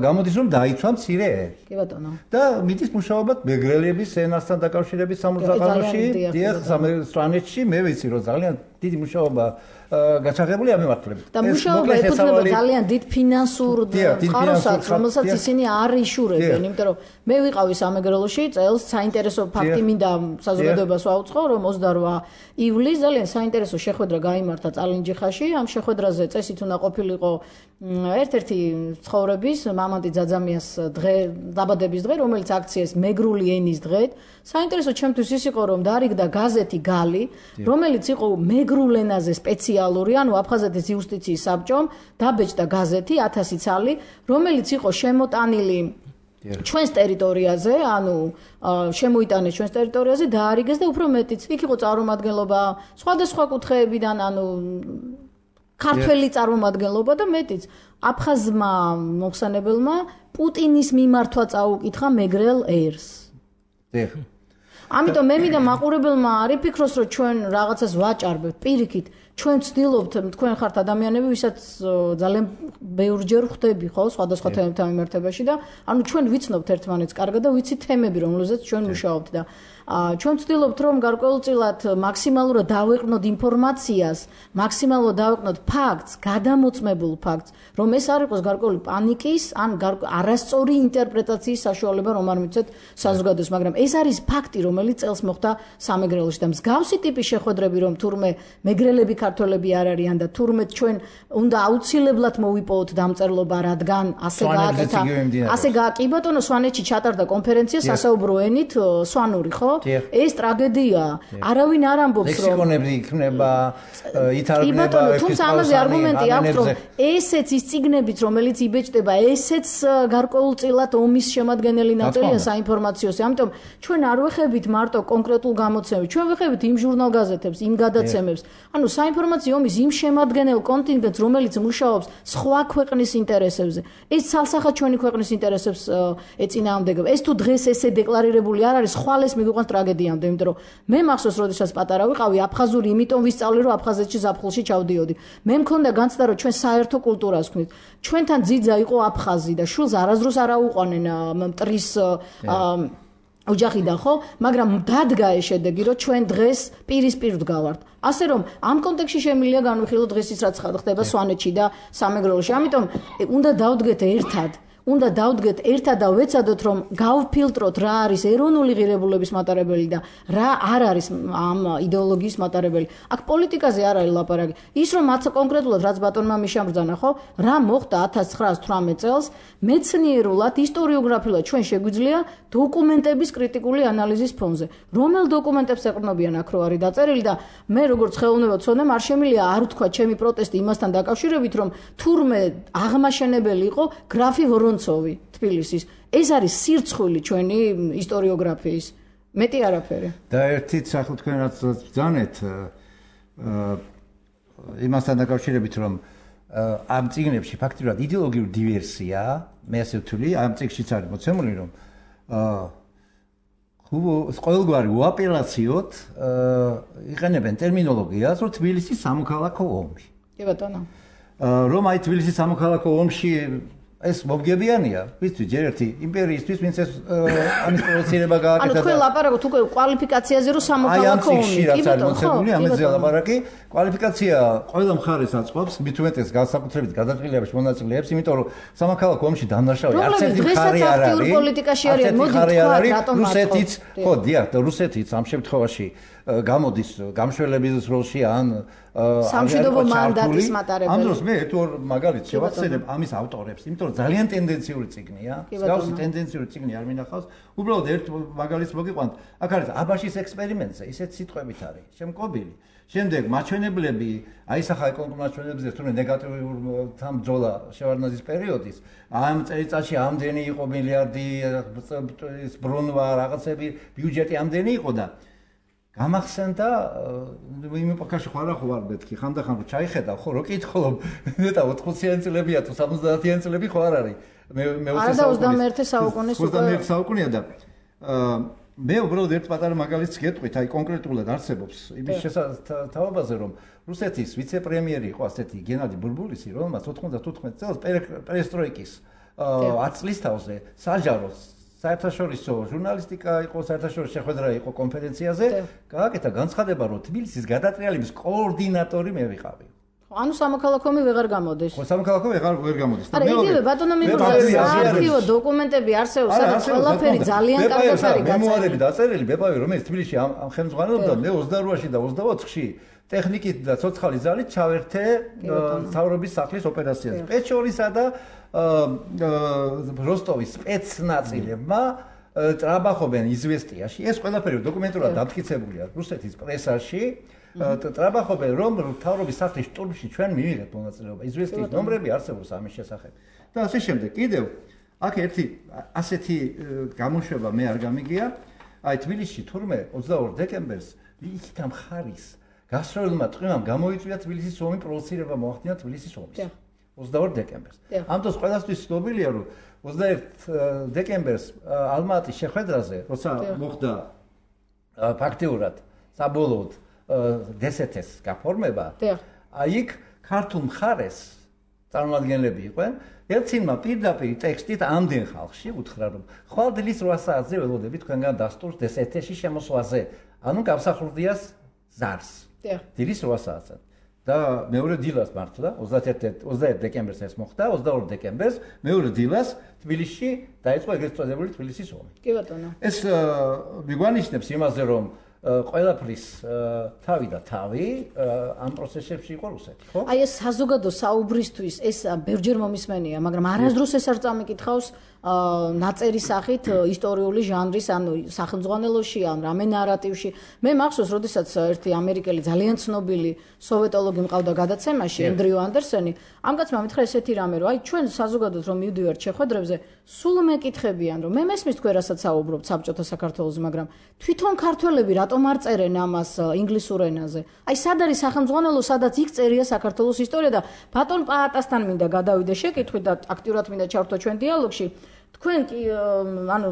S6: გამოდის რომ დაიცვა მცირე ერი.
S2: კი ბატონო.
S6: და მიდის მუშაობა მეგრელების ენასთან დაკავშირებით სამურზაყანოში, დიახ, სვანეთში, მე ვიცი რომ ძალიან დიდი მუშაობა გაჩაღებული ამ მიმართულებით.
S2: და მუშაობა ეფუძნება ძალიან დიდ ფინანსურ წყაროსაც, რომელსაც ისინი არ იშურებენ, იმიტომ რომ მე ვიყავი სამეგრელოში წელს, საინტერესო ფაქტი მინდა საზოგადოებას ვაუწყო, რომ 28 ივლისს ძალიან საინტერესო შეხვედრა გაიმართა წალინჯიხაში, ამ შეხვედრაზე წესით უნდა ყოფილიყო ერთ-ერთი ცხოვრების მამანტი ძაძამიას დღე, დაბადების დღე, რომელიც აქციეს მეგრული ენის დღედ. საინტერესო ჩემთვის ის იყო, რომ დარიგდა გაზეთი გალი, რომელიც იყო მეგრულ ენაზე სპეციალური, ანუ აფხაზეთის იუსტიციის საბჭომ დაბეჭდა გაზეთი 1000 ცალი, რომელიც იყო შემოტანილი ჩვენს ტერიტორიაზე, ანუ შემოიტანეს ჩვენს ტერიტორიაზე, დაარიგეს და უფრო მეტიც. იქ იყო წარმომადგენლობა სხვადასხვა კუთხეებიდან, ანუ ქართველი წარმომადგენლობა და მეტიც. აფხაზმა მოხსენებელმა პუტინის მიმართვა წაუკითხა მეგრელ ერს.
S6: დიახ.
S2: ამიტომ მე მინდა მაყურებელმა არ იფიქროს, რომ ჩვენ რაღაცას ვაჭარბებთ. პირიქით, ჩვენ ვცდილობთ, თქვენ ხართ ადამიანები, ვისაც ძალიან ბევრჯერ ხვდები, ხო, სხვადასხვა თემებთან მიმართებაში და ანუ ჩვენ ვიცნობთ ერთმანეთს კარგად და ვიცით თემები, რომელზეც ჩვენ მუშაობთ და ჩვენ ვცდილობთ, რომ გარკვეულწილად მაქსიმალურად დავეყრდნოთ ინფორმაციას, მაქსიმალურად დავეყრდნოთ ფაქტს, გადამოწმებულ ფაქტს, რომ ეს არ იყოს გარკვეული პანიკის, ან არასწორი ინტერპრეტაციის საშუალება, რომ არ მიცეთ საზოგადოებას, მაგრამ ეს არის ფაქტი, რომელიც წელს მოხდა სამეგრელოში და მსგავსი ტიპის შეხვედრები, რომ თურმე მეგრელები ქართველები არ არიან და თურმე ჩვენ უნდა აუცილებლად მოვიპოვოთ დამწერლობა, რადგან ასე გააკეთა. ასე კი ბატონო, სვანეთში ჩატარდა კონფერენცია სასაუბრო ენით სვანური, ხო? ეს ტრაგედიაა. არავინ არ ამბობს, რომ
S6: ლექსიკონები იქნება, ითარგმნება,
S2: თუმცა ამაზე არგუმენტი აქვს, რომ ესეც ის წიგნებიც, რომელიც იბეჭდება, ესეც გარკვეულწილად ომის შემადგენელი ნაწილია საინფორმაციოსი. ამიტომ ჩვენ არ ვეხებით მარტო კონკრეტულ გამოცემებს, ჩვენ ვეხებით იმ ჟურნალ-გაზეთებს, იმ გადაცემებს. ანუ საინფორმაციო ომის იმ შემადგენელ კონტინგენტს, რომელიც მუშაობს სხვა ქვეყნის ინტერესებზე. ეს ცალსახად ჩვენი ქვეყნის ინტერესებს ეწინააღმდეგება. ეს თუ დღეს ესე დეკლარირებული არ არის, ხვალ ეს მიგვიყვანს ტრაგედიამდე, იმიტომ რომ მე მახსოვს, როდესაც პატარა ვიყავი, აფხაზური იმიტომ ვისწავლე, რომ აფხაზეთში ზაფხულში ჩავდიოდი. მე მქონდა განცდა, რომ ჩვენ საერთო კულტურას ვქნით. ჩვენთან ძიძა იყო აფხაზი და შულს არასდროს არ აუყვანენ მტრის ოჯახიდან, ხო? მაგრამ დადგა ეს შედეგი, რომ ჩვენ დღეს პირისპირ ვდგავართ. ასე რომ ამ კონტექსტში შემიძლია განვიხილოთ დღეს ის რაც ხდება სვანეთში და სამეგრელოში. ამიტომ უნდა დავდგეთ ერთად. უნდა დავდგეთ ერთად და ვეცადოთ, რომ გავფილტროთ რა არის ეროვნული ღირებულების მატარებელი და რა არ არის ამ იდეოლოგიის მატარებელი. აქ პოლიტიკაზე არ არის ლაპარაკი. ის რომ მათ კონკრეტულად რაც ბატონმა მიშამ ბრძანა, ხო? რა მოხდა 1918 წელს, მეცნიერულად, ისტორიოგრაფიულად ჩვენ შეგვიძლია დოკუმენტების კრიტიკული ანალიზის ფონზე. რომელ დოკუმენტებს ეყრდნობიან აქ რო არის დაწერილი და მე როგორც ხელოვნება ვცოდნեմ, არ შემიძლია არ ვთქვა ჩემი პროტესტი იმასთან დაკავშირებით, რომ თურმე აღმაშენებელი იყო გრაფი ვორონცოვი თბილისის. ეს არის სირცხვილი ჩვენი ისტორიოგრაფიის. მეტი არაფერი.
S6: და ერთით სახელ თქვენ რაც ბრძანეთ იმასთან დაკავშირებით, რომ ამ წიგნებში ფაქტიურად იდეოლოგიური დივერსია, მე ასე ვთვლი, ამ წიგნშიც არის მოცემული, რომ ყოველგვარი უაპელაციოდ იყენებენ ტერმინოლოგიას, რომ თბილისის სამოქალაქო ომი.
S2: კი ბატონო.
S6: რომ აი თბილისის სამოქალაქო ომში ეს მომგებიანია, ვისთვის ჯერ ერთი იმპერიისთვის, ვინც ეს ამის პროცესირება გააკეთა.
S2: ანუ თქვენ ლაპარაკობთ უკვე კვალიფიკაციაზე, რომ სამოქალაქო ომი,
S6: კი ბატონო, ამაზე ლაპარაკი, კვალიფიკაცია ყველა მხარეს აწყობს, მით უმეტეს განსაკუთრებით გადაწყვეტილებაში მონაწილეებს, იმიტომ რომ სამოქალაქო ომში დამნაშავე არც ერთი მხარე არ არის.
S2: პოლიტიკაში არიან, მოდი თქვა, რატომ
S6: რუსეთიც, ხო, დიახ, რუსეთიც ამ შემთხვევაში გამოდის გამშველების როლში ან
S2: სამშვიდობო მანდატის მატარებელი.
S6: ამ დროს მე ერთ-ორ მაგალითს შევახსენებ ამის ავტორებს, იმიტომ რომ ძალიან ტენდენციური წიგნია, მსგავსი ტენდენციური წიგნი არ მინახავს. უბრალოდ ერთ მაგალითს მოგიყვანთ. აქ არის აბაშის ექსპერიმენტზე, ისეთ სიტყვებით არის შემკობილი. შემდეგ მაჩვენებლები, აი სახა ეკონომიკურ მაჩვენებლებზე თუნდაც ნეგატიურ თამბძოლა შევარდნაძის პერიოდის, ამ წელიწადში ამდენი იყო მილიარდი ბრუნვა, რაღაცები, ბიუჯეტი ამდენი იყო და გამახსენდა იმ ეპოქაში ხარ ვარ მეთქი ხანდახან რომ ჩაიხედა ხო რო კითხულობ ნეტა 80-იანი წლებია თუ 70-იანი წლები ხო არ არის მე
S2: 21 საუკუნის უკვე
S6: 21 საუკუნეა და მე უბრალოდ ერთ პატარა მაგალითს გეტყვით აი კონკრეტულად არსებობს იმის შესაძლებლობაზე რომ რუსეთის ვიცე-პრემიერი იყო ასეთი გენადი ბურბულისი რომელმაც 94 წელს პერესტროიკის 10 წლის თავზე საჯაროს საერთაშორისო ჟურნალისტიკა იყო, საერთაშორისო შეხვედრა იყო კონფერენციაზე, გააკეთა განცხადება, რომ თბილისის გადატრიალების კოორდინატორი მე ვიყავი.
S2: ანუ სამოქალაქო ომი ვეღარ გამოდის.
S6: ხო, სამოქალაქო ვერ გამოდის.
S2: არა, იგივე ბატონო მიგურდა საარქივო დოკუმენტები არსებობს, სადაც ყველაფერი ძალიან კარგად არის
S6: გაწერილი. მემუარები დაწერილი, ბებავი, რომელიც თბილისში ამ ხელმძღვანელობდა მე 22-ში და 24-ში ტექნიკით და ცოცხალი ძალით ჩავერთე მთავრობის სახლის ოპერაციაზე. პეჩორისა და როსტოვის სპეცნაწილებმა ტრაბახობენ იზვესტიაში. ეს ყველაფერი დოკუმენტურად დამტკიცებულია რუსეთის პრესაში. ტრაბახობენ რომ მთავრობის სახლის შტურმში ჩვენ მივიღეთ მონაწილეობა. იზვესტიის ნომრები არსებობს ამის შესახებ. და ასე შემდეგ. კიდევ აქ ერთი ასეთი გამოშვება მე არ გამიგია. აი თბილისში თურმე 22 დეკემბერს იქით ამ ხარის გასროლმა ტყიმამ გამოიწვია თბილისის ომი პროვოცირება მოახდინა თბილისის ომის. 22 დეკემბერს. ამ დროს ყველასთვის ცნობილია რომ 21 დეკემბერს ალმატის შეხვედრაზე, როცა მოხდა ფაქტიურად საბოლოოდ დსთ-ს გაფორმება, აი იქ ქართულ მხარეს წარმომადგენლები იყვნენ, ელცინმა პირდაპირ ტექსტით ამდენ ხალხში უთხრა რომ ხვალდილის 8 საათზე ველოდებით თქვენგან დასტურს დსთ-ში შემოსვლაზე, ანუ გამსახურდიას ზარს. დილის 8 საათზე. და მეორე დილას მართლა 21 დეკემბერს ეს მოხდა 22 დეკემბერს მეორე დილას თბილისში დაიწყო ეგრეთ წოდებული თბილისის ომი.
S2: კი ბატონო.
S6: ეს მიგვანიშნებს იმაზე რომ ყველაფრის თავი და თავი ამ პროცესებში იყო რუსეთი, ხო?
S2: აი ეს საზოგადო საუბრისთვის ეს ბევრჯერ მომისმენია, მაგრამ არასდროს ეს არ წამიკითხავს ნაწერი სახით ისტორიული ჟანრის, ანუ სახელმძღვანელოში, ან რამე ნარატივში. მე მახსოვს, როდესაც ერთი ამერიკელი ძალიან ცნობილი სოვეტოლოგი მყავდა გადაცემაში, ენდრიუ ანდერსენი, ამ კაცმა მითხრა ესეთი რამე, რომ აი ჩვენ საზოგადოდ რომ მივდივართ შეხვედრებზე, სულ მეკითხებიან, რომ მე მესმის თქვენ რასაც საუბრობთ საბჭოთა საქართველოს, მაგრამ თვითონ ქართველები რატომ არ წერენ ამას ინგლისურ ენაზე? აი სად არის სახელმძღვანელო, სადაც იქ წერია საქართველოს ისტორია და ბატონ პაატასთან მინდა გადავიდე შეკითხვით და აქტიურად მინდა ჩავთო ჩვენ დიალოგში. თქვენ კი ანუ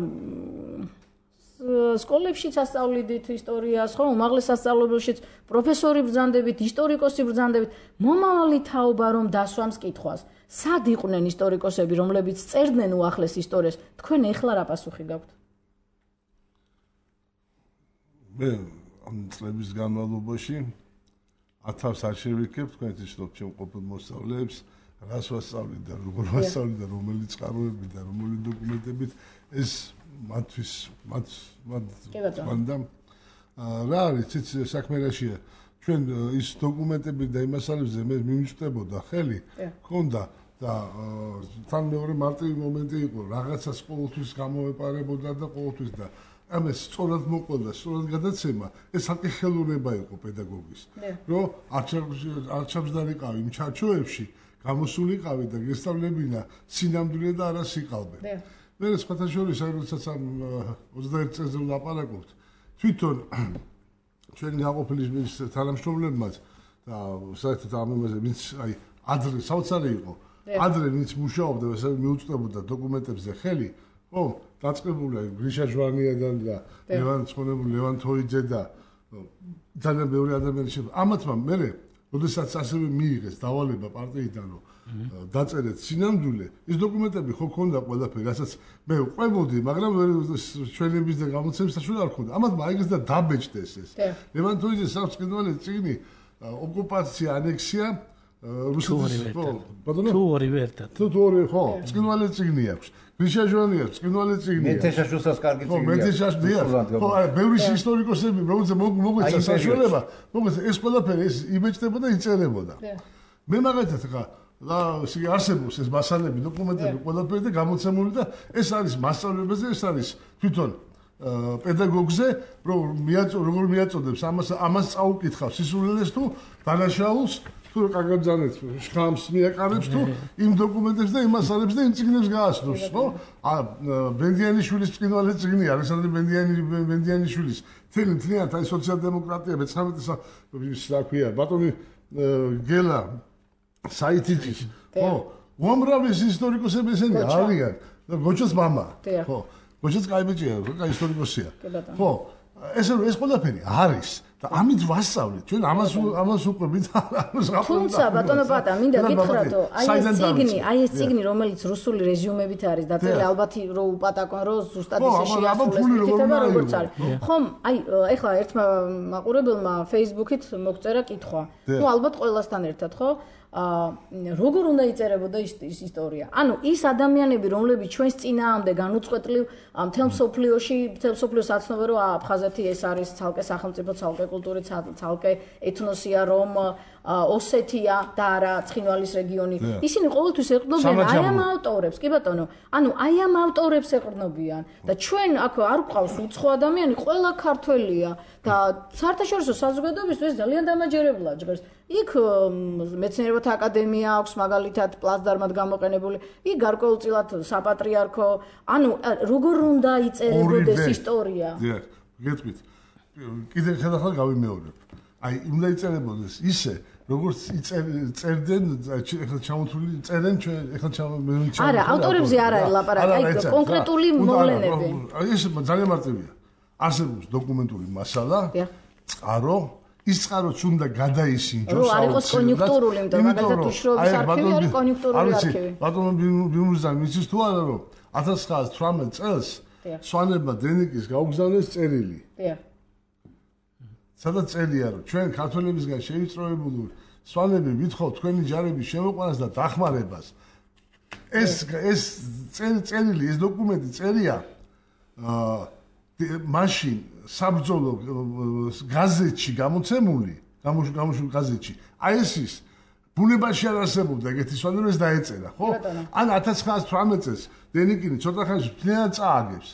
S2: სკოლებშიც ასწავლიდით ისტორიას, ხო, უმაღლეს სასწავლებელშიც პროფესორი ბრძანდებით, ისტორიკოსი ბრძანდებით, მომავალი თაობა რომ დასვამს კითხვას. სად იყვნენ ისტორიკოსები, რომლებიც წერდნენ უახლეს ისტორიას? თქვენ ეხლა რა პასუხი გაქვთ?
S5: მე ამ წლების განმავლობაში 1000 არ შევიქებ, თქვენ იცნობთ ჩემ ყოფილ მოსწავლეებს, რას ვასწავლით და როგორ ვასწავლით და რომელი წყაროები და რომელი დოკუმენტებით ეს მათთვის მანდამ რა არის ციცი საქმე რაშია ჩვენ ის დოკუმენტები და იმასალებზე მე მიმწვდებოდა ხელი ქონდა და თან მეორე მარტივი მომენტი იყო რაღაცას ყოველთვის გამოვეპარებოდა და ყოველთვის და ამას სწორად მოყოლდა სწორად გადაცემა ეს საკითხელუნება იყო პედაგოგის რომ არჩევსდარიყავი იმ ჩარჩოებში გამოსულიყავი და გესწავლებინა სინამდვილე და არა სიყალბე. მე სხვათა შორის როდესაც ამ 21 წელზე ვლაპარაკობთ, თვითონ ჩვენი გაყოფილი თანამშრომლებმაც და საერთოდ ამ იმაზე ვინც აი ადრე საოცარი იყო, ადრე ვინც მუშაობდა, ესე მიუწვდებოდა დოკუმენტებზე ხელი, ხო, დაწყებულია გრიშა ჟვანიადან და ლევან ცხონებული, ლევან თოიძე და ძალიან ბევრი ადამიანი ამათმა მე როდესაც ასევე მიიღეს დავალება პარტიიდან რომ დაწერეთ სინამდვილე, ის დოკუმენტები ხო ქონდა ყველაფერი, რასაც მე ვყვებოდი, მაგრამ ჩვენების და გამოცემის საშუალება არ ქონდა. ამათ მაიგეს და დაბეჭდეს ეს. ლევან თოიძეს აქვს კიდევ წიგნი ოკუპაცია, ანექსია რუსეთის
S4: თუ ორივე ერთად.
S5: თუ ორივე ხო, წიგნვალე წიგნი აქვს. გრიშა ჟვანი აქვს, წიგნვალე წიგნი.
S6: მეთეშაშვილსაც კარგი წიგნი აქვს.
S5: ხო, მეთეშაშვილი. ხო, ბევრი ისტორიკოსები, რომელსაც მოგვეცა საშუალება, მოგვეცა ეს ყველაფერი ეს იბეჭდებოდა, იწერებოდა. მე მაგათაც ხა და არსებობს ეს მასალები, დოკუმენტები ყველაფერი და გამოცემული და ეს არის მასწავლებელზე, ეს არის თვითონ პედაგოგზე, როგორ მიაწოდებს ამას წაუკითხავს სისულელეს თუ დანაშაულს, თუ კარგად შხამს მიაყარებს თუ იმ დოკუმენტებს და იმ მასალებს და იმ წიგნებს გააცნობს, ხო? ბენდიანიშვილის წიგნვალე წიგნი, ალექსანდრე ბენდიანიშვილის თლიანად აი სოციალ-დემოკრატია მე-19 რა ქვია, ბატონი გელა საიტიძის, ხო, უამრავი ისტორიკოსები ესენი არიან. გოჩოს მამა, ხო, გოჩოს კაიბეჭია, კაი ისტორიკოსია. ხო, ეს ყველაფერი არის და ამით ვასწავლეთ. ჩვენ ამას უყვებით ამას გაფრთხილდა.
S2: თუმცა ბატონო პატა, მინდა გითხრათო, აი ეს წიგნი, რომელიც რუსული რეზიუმებით არის დაწერილი, ალბათ რო უპატაკონ, რო ზუსტად ისე შეასრულოს, იქნება როგორც არის. ხომ, აი ეხლა ერთმა მაყურებელმა Facebook-ით მოგწერა კითხვა. ნუ ალბათ ყველასთან ერთად, ხო? როგორ უნდა იწერებოდა ის ისტორია? ანუ ის ადამიანები, რომლებიც ჩვენს წინააღმდეგ განუწყვეტლივ მთელ მსოფლიოს აცნობენ, რომ აფხაზეთი ეს არის ცალკე სახელმწიფო, ცალკე კულტური, ცალკე ეთნოსია, რომ ოსეთია და არა ცხინვალის რეგიონი. ისინი ყოველთვის ეყრდნობიან აი ამ ავტორებს, კი ბატონო. ანუ აი ამ ავტორებს ეყრდნობიან და ჩვენ აქ არ გვყავს უცხო ადამიანი, ყველა ქართველია და საერთაშორისო საზოგადოებისთვის ძალიან დამაჯერებლა ჟღერს. იქ მეცნიერებათა აკადემია აქვს მაგალითად პლაცდარმად გამოყენებული, იქ გარკვეულწილად საპატრიარქო, ანუ როგორ უნდა იწერებოდეს ისტორია?
S5: დიახ, გეტყვით. კიდე ხალხად გავიმეორებ. აი, უნდა იწერებოდეს ისე, როგორც წერდნენ, ეხლა ჩამოთვლილი წერენ ჩვენ, ეხლა ჩამოთვლილი.
S2: არა, ავტორებზე არ არის ლაპარაკი, აი კონკრეტული მოვლენები.
S5: ეს ძალიან მარტივია. არსებობს დოკუმენტური მასალა, წყარო ის წყაროც უნდა გადაისინჯოს.
S2: რო არ იყოს კონიუნქტურული, იმიტომ მაგალითად უშრობის არქივი არის კონიუნქტურული არქივი.
S5: ბატონო ბიუმურზანი იცის თუ არა რომ 1918 წელს სვანებმა დენიკის გაუგზავნეს წერილი.
S2: დიახ.
S5: სადაც წერია რომ ჩვენ ქართველებისგან შევიწროებული სვანები ვითხოვთ თქვენი ჯარების შემოყვანას და დახმარებას. ეს წერილი, ეს დოკუმენტი წერია მაშინ საბრძოლო გაზეთში გამოცემული გაზეთში აი ეს ის ბუნებაში არ არსებობდა ეგეთი სვანები ეს დაეწერა ხო ან 1918 წელს დენიკინი ცოტა ხანში მთლიანად წააგებს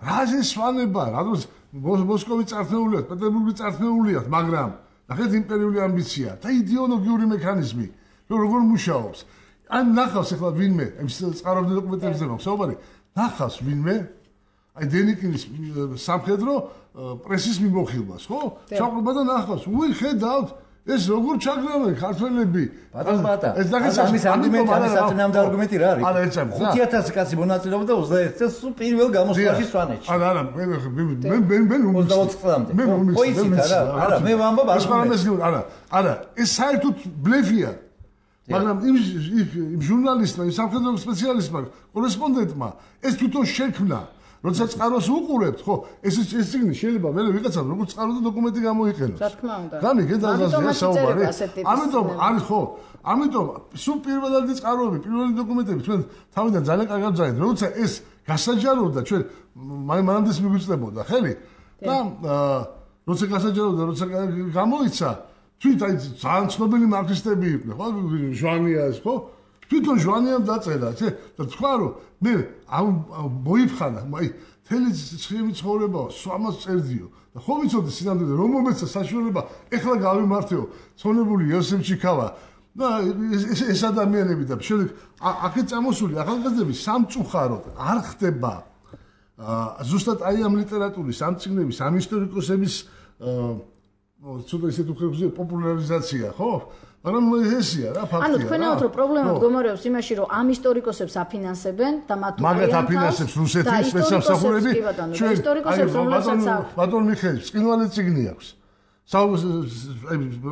S5: რა ეს სვანება რა დროს მოსკოვი წარქმეულია პეტერბურგი წარქმეულია მაგრამ ნახეთ იმპერიული ამბიცია და იდეოლოგიური მექანიზმი როგორ მუშაობს ან ნახავს ახლა ვინმე ეს წყაროებდა დოკუმენტებზე მაქვს საუბარი ნახავს ვინმე აი დენიკინის სამხედრო პრესის მიმოხილვას, ხო? ჩაყრობა და ნახავს, უი ხედავთ, ეს როგორ ჩაგრავენ ქართველები.
S6: ბატონო, ეს ამის არგუმენტი, ამის საწინააღმდეგო არგუმენტი რა არის?
S5: არა, ეცემ.
S6: 5000 კაცი მონაწილეობდა 21 წელს პირველ გამოსვლაში სვანეთში.
S5: არა, მე
S6: 24 წლამდე. ხო იცით არა, მე ვამბობ
S5: არა, ეს საერთოდ ბლეფია. მაგრამ იმ ჟურნალისტმა, იმ სამხედრო სპეციალისტმა, კორესპონდენტმა ეს თვითონ შექმნა როდესაც წყაროს უყურებთ, ხო, ეს წიგნი შეიძლება მე ვიღაცა როგორც წყარო და დოკუმენტი გამოიყენოს.
S2: რა თქმა უნდა.
S5: გამიგეთ აზრია საუბარი. ამიტომ არის ხო, ამიტომ სულ პირველადი წყაროები, პირველი დოკუმენტები ჩვენ თავიდან ძალიან კარგად ვძაინეთ. როცა ეს გასაჯაროვდა ჩვენ მანამდეც მიგვიწდებოდა, ხელი? და როცა გასაჯაროვდა, როცა გამოიცა, თვით აი ძალიან ცნობილი მარქსისტები იყვნენ, ხო, ჟვანიას, ხო? თვითონ ჟვანიამ დაწერა, და თქვა რომ მე მოიფხანა, აი თელი ცხიმი ცხოვრება სვამას წერდიო და ხო ვიცოდი სინამდვილე რომ მომეცა საშუალება ეხლა გავიმართეო ცონებული იოსებ ჩიქავა და ეს ადამიანები და შემდეგ აქეთ წამოსული ახალგაზრდები სამწუხაროდ არ ხდება ზუსტად აი ამ ლიტერატურის ამ წიგნების ამ ისტორიკოსების ცოტა ისეთ უხერხზე პოპულარიზაცია ხო მაგრამ ესია რა ფაქტია.
S2: ანუ თქვენაოთ რომ პრობლემა მდგომარეობს იმაში რომ ამ ისტორიკოსებს აფინანსებენ და მათ
S5: მაგათ აფინანსებს რუსეთის სპეცსამსახურები.
S2: ჩვენ ისტორიკოსებს რომელსაც
S5: ბატონ მიხეილ, წინვალე წიგნი აქვს.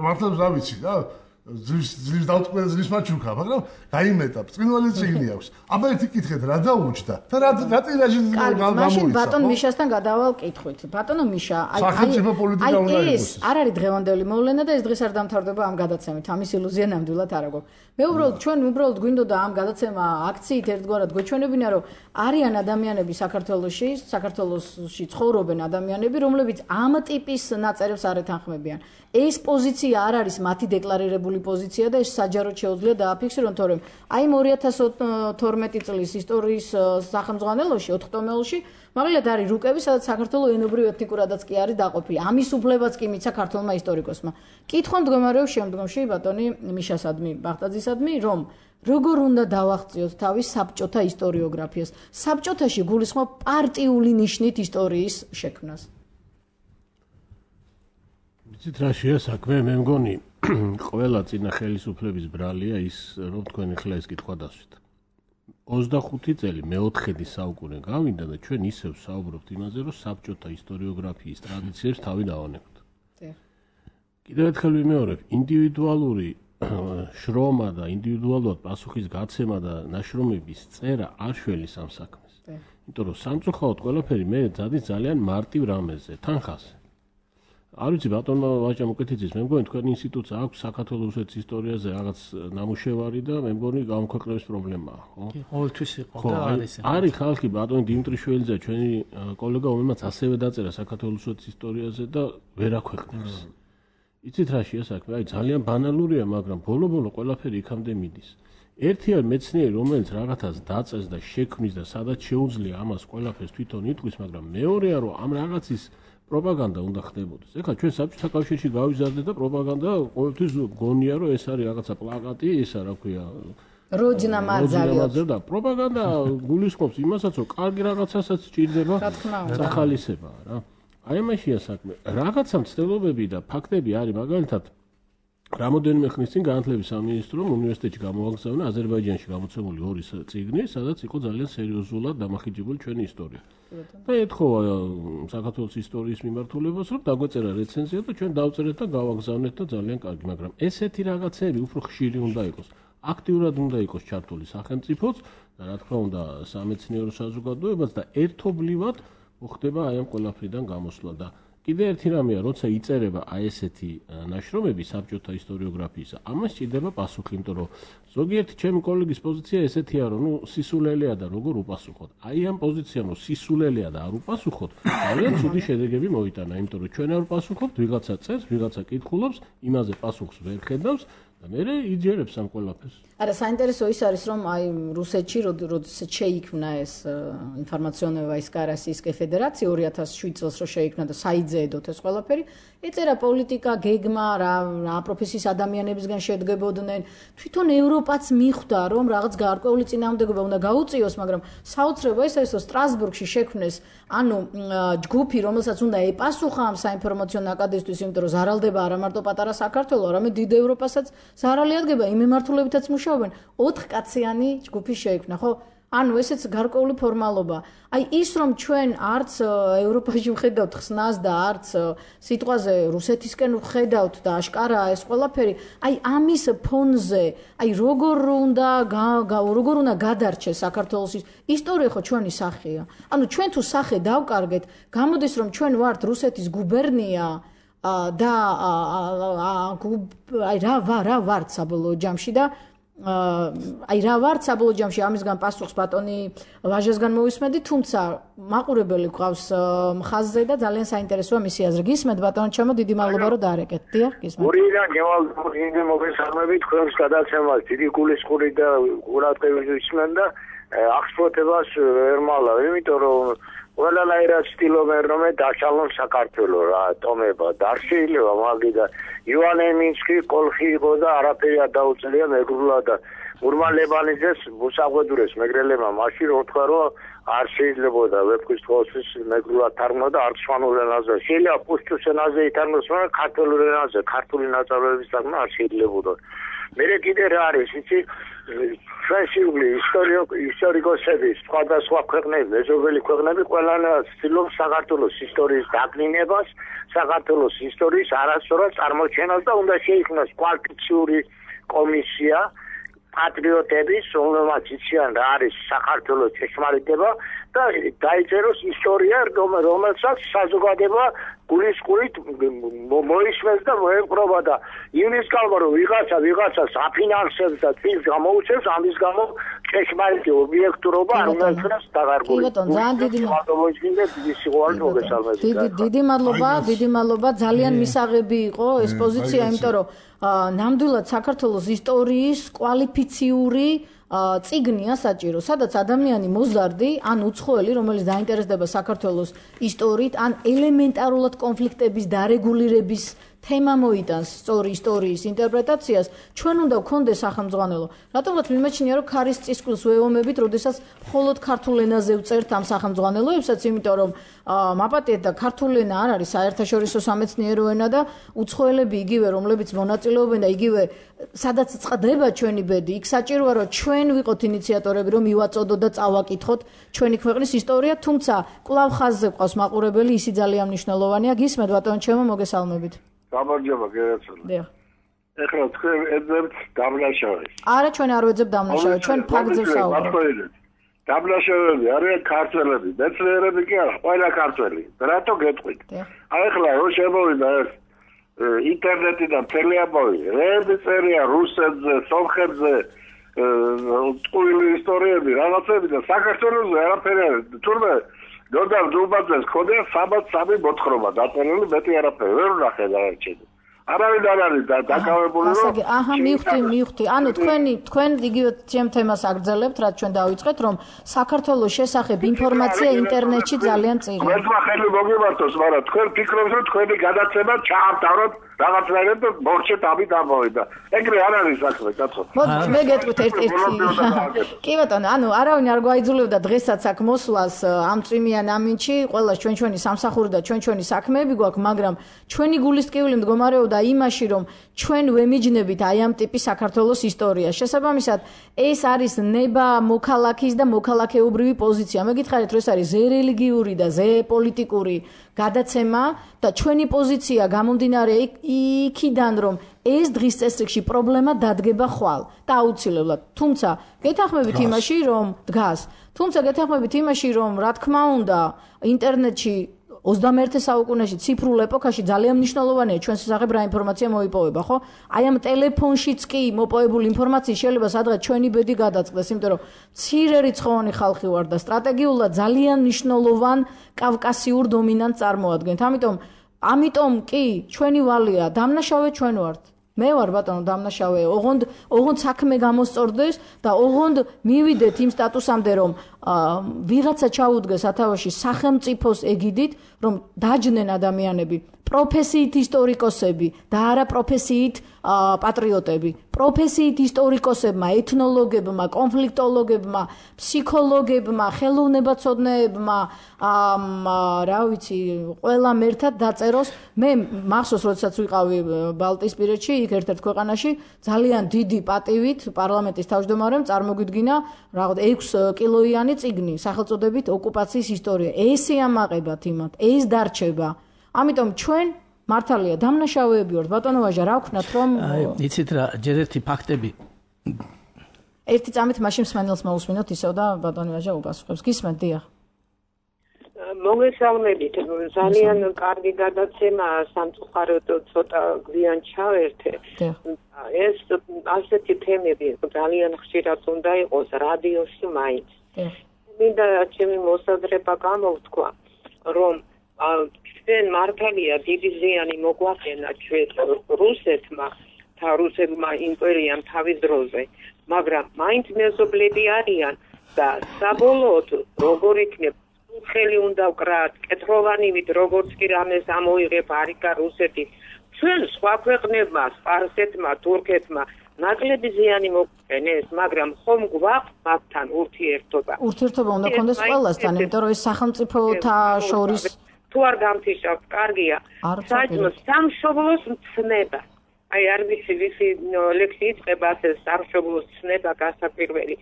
S5: მართლა რა ვიცი რა ზის დაუწყვილ ზის მაჩუკა, მაგრამ დაიმეტა, ბრწყინვალე წიგნი აქვს. აბა ერთი კითხეთ, რა დაუჭდა? და რა ტირაჟი გამოიცა?
S2: მაშინ ბატონ მიშასთან გადავალ კითხვით. ბატონო მიშა,
S5: სახელმწიფო პოლიტიკა უნდა იყოს.
S2: ეს არ არის დღევანდელი მოვლენა და ეს დღეს არ დამთავრდება ამ გადაცემით. ამის ილუზია ნამდვილად არ აქვს. მე ჩვენ უბრალოდ გვინდოდა ამ გადაცემა აქციით ერთგვარად გვეჩვენებინა, რომ არიან ადამიანები საქართველოში ცხოვრობენ ადამიანები, რომლებიც ამ ტიპის ნაწერებს არ ეთანხმებიან. ეს პოზიცია არ არის მათი დეკლარირებული პოზიცია და ეს საჯაროდ შეუძლია დააფიქსირონ, თორემ აი 2012 წლის ისტორიის სახელმძღვანელოში 4 ტომეულში მაგალითად არის რუკები, სადაც საქართველოს ენობრივ ეთნიკურადაც კი არის დაყოფილი. ამის უფლებაც კი მიცა ქართველმა ისტორიკოსმა. კითხვა მდგომარეობს შემდგომში ბატონი მიშასადმი, ბახტაძისადმი, რომ როგორ უნდა დავაღწიოთ თავის საბჭოთა ისტორიოგრაფიას. საბჭოთაში გულისხმობ პარტიული ნიშნით ისტორიის შექმნას.
S3: ვიცით რა შეა საქმე, მე მგონი ყველა წინა ხელისუფლების ბრალია ის, რომ თქვენ ახლა ეს კითხვა დასვით. 25 წელი მე-4 საუკუნე გავინდა და ჩვენ ისევ საუბრობთ იმაზე, რომ საბჭოთა ისტორიოგრაფიის ტრადიციებს თავი დავანებთ. კიდევ ერთხელ ვიმეორებ, ინდივიდუალური შრომა და ინდივიდუალურად პასუხის გაცემა და ნაშრომების წერა არ შველის ამ საქმეს. იმიტომ რომ სამწუხაროდ ყველაფერი მე დადის ძალიან მარტივ რამეზე, თანხაზე. არ ვიცი ბატონმა ვაჭამ უკეთიცის, მე მგონი თქვენ ინსტიტუტს აქვს საქართველოს რუსეთის ისტორიაზე რაღაც ნამუშევარი და მე მგონი გამქვეყნების პრობლემაა, ხო?
S4: ყოველთვის იყო და არის.
S3: არის ხალხი ბატონი დიმიტრი შველიძე, ჩვენი კოლეგა, რომელმაც ასევე დაწერა საქართველოს რუსეთის ისტორიაზე და ვერ აქვეყნებს. იცით რა შეა საქმე? აი ძალიან ბანალურია, მაგრამ ბოლო-ბოლო ყველაფერი იქამდე მიდის. ერთია მეცნიერი, რომელიც რაღაცას დაწეს და შექმნის და სადაც შეუძლია ამას ყველაფერს თვითონ იტყვის, მაგრამ მეორეა, რომ ამ რაღაცის პროპაგანდა უნდა ხდებოდეს. ეხლა ჩვენ საბჭოთა კავშირში გავიზარდეთ და პროპაგანდა ყოველთვის გონია, რომ ეს არის რაღაცა პლაკატი, ისა რა ქვია,
S2: როჯნა მაძავი
S3: და პროპაგანდა გულისხმობს იმასაც, რომ კარგი რაღაცასაც სჭირდება სახალისება რა. აი ამაშია საქმე. რაღაცა მცდელობები და ფაქტები არის, მაგალითად რამოდენიმე ხნის წინ განათლების სამინისტრომ უნივერსიტეტში გამოაგზავნა აზერბაიჯანში გამოცემული 2 წიგნი, სადაც იყო ძალიან სერიოზულად დამახინჯებული ჩვენი ისტორია. და ეთხოვა საქართველოს ისტორიის მიმართულებას, რომ დაგვეწერა რეცენზია და ჩვენ დავწერეთ და გავაგზავნეთ და ძალიან კარგი, მაგრამ ესეთი რაღაცები უფრო ხშირი უნდა იყოს. აქტიურად უნდა იყოს ჩართული სახელმწიფოც და რა თქმა უნდა სამეცნიერო საზოგადოებაც და ერთობლივად მოხდება აი ამ ყველაფრიდან გამოსვლა და კიდე ერთი რამეა, როცა იწერება აი ესეთი ნაშრომები საბჭოთა ისტორიოგრაფიისა, ამას სჭირდება პასუხი, იმიტომ რომ ზოგიერთი ჩემი კოლეგის პოზიცია ესეთია, რომ ნუ სისულელეა და როგორ უპასუხოთ. აი ამ პოზიციამ რომ სისულელეა და არ უპასუხოთ, ძალიან ცუდი შედეგები მოიტანა, იმიტომ რომ ჩვენ არ ვპასუხობთ, ვიღაცა წერს, ვიღაცა კითხულობს, იმაზე პასუხს ვერ ხედავს და მე იჯერებს ამ ყველაფერს.
S2: არა, საინტერესო ის არის, რომ აი რუსეთში, როდესაც შეიქმნა ეს ინფორმაციონოვაის კარასისკე ფედერაცია 2007 წელს რო შეიქმნა და საიძეედოთ ეს ყველაფერი, ეწერა პოლიტიკა, გეგმა, რა პროფესიის ადამიანებისგან შედგებოდნენ. თვითონ ევროპაც მიხვდა, რომ რაღაც გარკვეული წინააღმდეგობა უნდა გაუწიოს, მაგრამ საოცრება ის არის, რომ სტრასბურგში შექმნეს ანუ ჯგუფი, რომელსაც უნდა ეპასუხა ამ საინფორმაციო ნაკადისთვის, იმიტომ რომ ზარალდება არა მარტო პატარა საქართველო, არამედ დიდ ევროპასაც ზარალი ადგება, იმ მიმართულებითაც მუშაობენ. 4 კაციანი ჯგუფი შეიქმნა, ხო? ანუ ესეც გარკვეული ფორმალობა. აი ის რომ ჩვენ არც ევროპაში ვხედავთ ხსნას და არც სიტყვაზე რუსეთისკენ ვხედავთ და აშკარაა ეს ყველაფერი, აი ამის ფონზე, აი როგორ უნდა გადარჩეს საქართველოს ისტორია ხო ჩვენი სახეა. ანუ ჩვენ თუ სახე დავკარგეთ, გამოდის რომ ჩვენ ვართ რუსეთის გუბერნია და აი რა ვართ საბოლოო ჯამში და აი რა ვართ საბოლოო ჯამში ამისგან პასუხს ბატონი ვაჟესგან მოვისმენდი, თუმცა მაყურებელი გვყავს მხაზზე და ძალიან საინტერესოა მისი აზრი. გისმენთ ბატონო ჩემო, დიდი მადლობა რომ დაარეკეთ. დიახ, გისმენთ.
S8: გურიდან გევალ მოგესალმებით, თქვენს გადაცემას დიდი გულისხმური და ყურადღებით ვისმენ და აღსფრთებას ვერ მალავ, იმიტომ რომ ყველანაირად ცდილობენ რომ დაშალონ საქართველო რა ტომება და არ შეიძლება მაგიდა ივანე მინსკი კოლხი იყო და არაფერი არ დაუწია მეგრულა და ურმალებანიძეს მოსაღვედურეს მეგრელებმა მაშინ რო თქვა რომ არ შეიძლებოდა ვეფხვის თვალის მეგრულად თარგმნა და არცვანურ ენაზე შეიძლება პუშტუს ენაზე ითარგმნოს მაგრამ ქართულ ენაზე ქართული ნაწარმოების თარგმნა არ შეიძლებოდა მე კიდე რა არის იცი ჩვენშიული ისტორიკოსები სხვადასხვა ქვეყნები მეზობელი ქვეყნები ყველანაირად ცდილობს საქართველოს ისტორიის დაკნინებას საქართველოს ისტორიის არასწორად წარმოჩენას და უნდა შეიქმნას კვალიფიციური კომისია პატრიოტების რომელმაც იციან რა არის საქართველოს ჭეშმარიტება და დაიწეროს ისტორია რომელსაც საზოგადოება გულისყურით მოისმენს და მოეპყრობა და იმის გამო რომ ვიღაცას აფინანსებს და წილს გამოუწევს ამის გამო ჭეშმარიტი ობიექტურობა არ უნდა იქნას დაღარგული.
S2: დიდი მადლობა ძალიან მისაღები იყო ეს პოზიცია იმიტომ რომ ნამდვილად საქართველოს ისტორიის კვალიფიციური წიგნია საჭირო, სადაც ადამიანი მოზარდი, ან უცხოელი, რომელიც დაინტერესდება საქართველოს ისტორიით, ან ელემენტარულად კონფლიქტების დარეგულირების თემა მოიტანს სწორი ისტორიის ინტერპრეტაციას, ჩვენ უნდა გქონდეს სახელმძღვანელო. რატომღაც მიმაჩნია, რომ ქარის წისქვილს ვეომებით, როდესაც მხოლოდ ქართულ ენაზე ვწერთ ამ სახელმძღვანელოებსაც, იმიტომ რომ მაპატიეთ და ქართული ენა არ არის საერთაშორისო სამეცნიერო ენა და უცხოელები იგივე, რომლებიც მონაწილეობენ და იგივე, სადაც წყდება ჩვენი ბედი, იქ საჭიროა, რომ ჩვენ ვიყოთ ინიციატორები, რომ მივაწოდოთ და წავაკითხოთ ჩვენი ქვეყნის ისტორია, თუმცა კვლავ ხაზზე ყავს მაყურებელი, ისი ძალიან მნიშვნელოვანია. გისმენთ ბატონო ჩემო, მოგესალმებით.
S9: გამარჯობა გერაცოლა.
S2: დიახ.
S9: ეხლა თქვენ ეძებთ დამნაშავეს.
S2: არა, ჩვენ არ ვეძებთ დამნაშავეს, ჩვენ ფაქტზე ვსაუბრობთ.
S9: დამნაშავეები არიან ქართველები, მეცნიერები კი არა, ყველა ქართველი. რატო გეტყვით? ეხლა რო შემოვიდა ეს ინტერნეტიდან თელეაბოვი, რეები წერია რუსებზე, სომხებზე, ტყუილი ისტორიები, რაღაცები და საქართველოსზე არაფერი არის. თურმე გორდან დუბაძეს ხოდია 303 მოთხრობა დაწერილი, მეტი არაფერი ვერ ვნახე დაერჩები. არავინ არ არის დაკავებული რომ
S2: აჰა მივხვდი. ანუ თქვენ იგივე ჩემ თემას აგრძელებთ, რაც ჩვენ დავიწყეთ, რომ საქართველოს შესახებ ინფორმაცია ინტერნეტში ძალიან წირია.
S9: თქვენმა ხელი მოგიმართოს, მაგრამ თქვენ ფიქრობთ, რომ თქვენი გადაცემა ჩაავთავროთ რაღაცნაირად და მორჩეთ ამით ამოვიდა. ეგრე არ არის საქმე, კაცო.
S2: მე გეტყვით ერთ-ერთი. კი ბატონო, ანუ არავინ არ გვაიძულებდა დღესაც აქ მოსვლას ამ წვიმიან ამინჩი, ყველას ჩვენი სამსახური და ჩვენი საქმეები გვაქვს, მაგრამ ჩვენი გულისტკივილი მდგომარეობდა იმაში, რომ ჩვენ ვემიჯნებით აი ამ ტიპის საქართველოს ისტორიას. შესაბამისად, ეს არის ნება მოქალაქის და მოქალაქეობრივი პოზიცია. მე გითხარით, რომ ეს არის ზე რელიგიური და ზე პოლიტიკური გადაცემა და ჩვენი პოზიცია გამომდინარე იქიდან, რომ ეს დღის წესრიგში პრობლემა დადგება ხვალ და აუცილებლად. თუმცა გეთანხმებით იმაში, რომ რა თქმა უნდა, ინტერნეტში 21 საუკუნეში ციფრულ ეპოქაში ძალიან მნიშვნელოვანია ჩვენს შესახებ რა ინფორმაცია მოიპოვება, ხო? აი ამ ტელეფონშიც კი მოპოვებული ინფორმაცია შეიძლება სადღაც ჩვენი ბედი გადაწყდეს, იმიტომ რომ მცირე რიცხოვანი ხალხი ვარ და სტრატეგიულად ძალიან მნიშვნელოვან კავკასიურ დომინანტს წარმოადგენთ. ამიტომ კი ჩვენი ვალია დამნაშავე ჩვენ ვართ. მე ვარ ბატონო დამნაშავე, ოღონდ საქმე გამოსწორდეს და ოღონდ მივიდეთ იმ სტატუსამდე, რომ ვიღაცა ჩაუდგეს სათავეში სახელმწიფოს ეგიდით, რომ დაჯდნენ ადამიანები, პროფესიით ისტორიკოსები და არა პროფესიით პატრიოტები. პროფესიით ისტორიკოსებმა, ეთნოლოგებმა, კონფლიქტოლოგებმა, ფსიქოლოგებმა, ხელოვნებაცოდნეებმა, რა ვიცი, ყველამ ერთად დაწეროს. მე მახსოვს, როდესაც ვიყავი ბალტიისპირეთში, იქ ერთ-ერთ ქვეყანაში, ძალიან დიდი პატივით პარლამენტის თავმჯდომარემ წარმოგვიდგინა რაღაც 6 კილოიანი წიგნი, სახელწოდებით ოკუპაციის ისტორია. ეს ეამაყებათ იმათ, ეს დარჩება. ამიტომ ჩვენ მართალია დამნაშავეები ვართ, ბატონო ვაჟა, რა ვქნათ, რომ
S4: იცით რა, ჯერ ერთი ფაქტები.
S2: ერთი წამით მაშინ მსმენელს მოусმინოთ ისევ და ბატონო ვაჟა უპასუხებს. გისმენთ, დიახ.
S10: მოგესალმებით, ძალიან კარგი გადაცემა, სამწუხაროდ ცოტა გვიან ჩავერთე. ეს ასეთი თემები ძალიან ხშირად უნდა იყოს რადიოში მაინც. მინდა ჩემი მოსაზრება გამოვთქვა, რომ ჩვენ მართალია დიდი ზიანი მოგვახენა ჩვენ რუსეთმა და რუსებმა იმპერიამ თავის დროზე, მაგრამ მაინც მეზობლები არიან და საბოლოოდ როგორ იქნება ხელი უნდა ვკრათ, კეთროვანივით როგორც კი რამეს ამოიღებ არიკა რუსეთი, ჩვენ სხვა ქვეყნებმა, სპარსეთმა, თურქეთმა ნაკლები ზიანი მოგვყენეს, მაგრამ ხომ გვაქვს მათთან ურთიერთობა.
S2: ურთიერთობა უნდა ქონდეს ყველასთან, იმიტომ რომ ეს სახელმწიფოთა შორის
S10: თუ არ გამთიშავთ, კარგია. საერთოდ სამშობლოს მცნება. აი არ ვიცი ვისი ლექსი იწყება ასე სამშობლოს ცნება გასაკვირველი.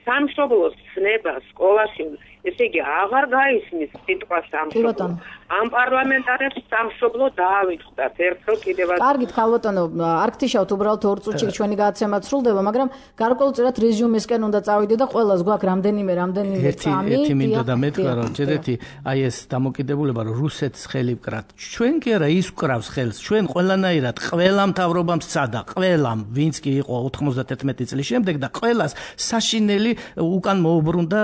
S10: სამშობლოს ცნება სკოლაში ესე იგი აღარ გაისმის სიტყვა სამშობლო. ამ პარლამენტარებს სამშობლო დაავიწყდათ ერთხელ კიდევაც.
S2: კარგით, ქალბატონო, არ გთიშავთ უბრალოდ 2 წუთში ჩვენი გადაცემა სრულდება, მაგრამ გარკვეულწილად რეზიუმესკენ უნდა წავიდე და ყველას გვაქვს რამდენიმე წამი.
S4: ერთი მინდა და მეთქვა რომ ჯერეთი აი ეს დამოკიდებულება რომ რუსეთს ხელი ვკრათ. ჩვენ კი არა ის ვკრავს ხელს, ჩვენ ყველანაირად ყველა მთავრობამ სცადა, ყველამ, ვინც კი იყო 91 წლის შემდეგ და ყველას საშინელი უკან მოუბრუნდა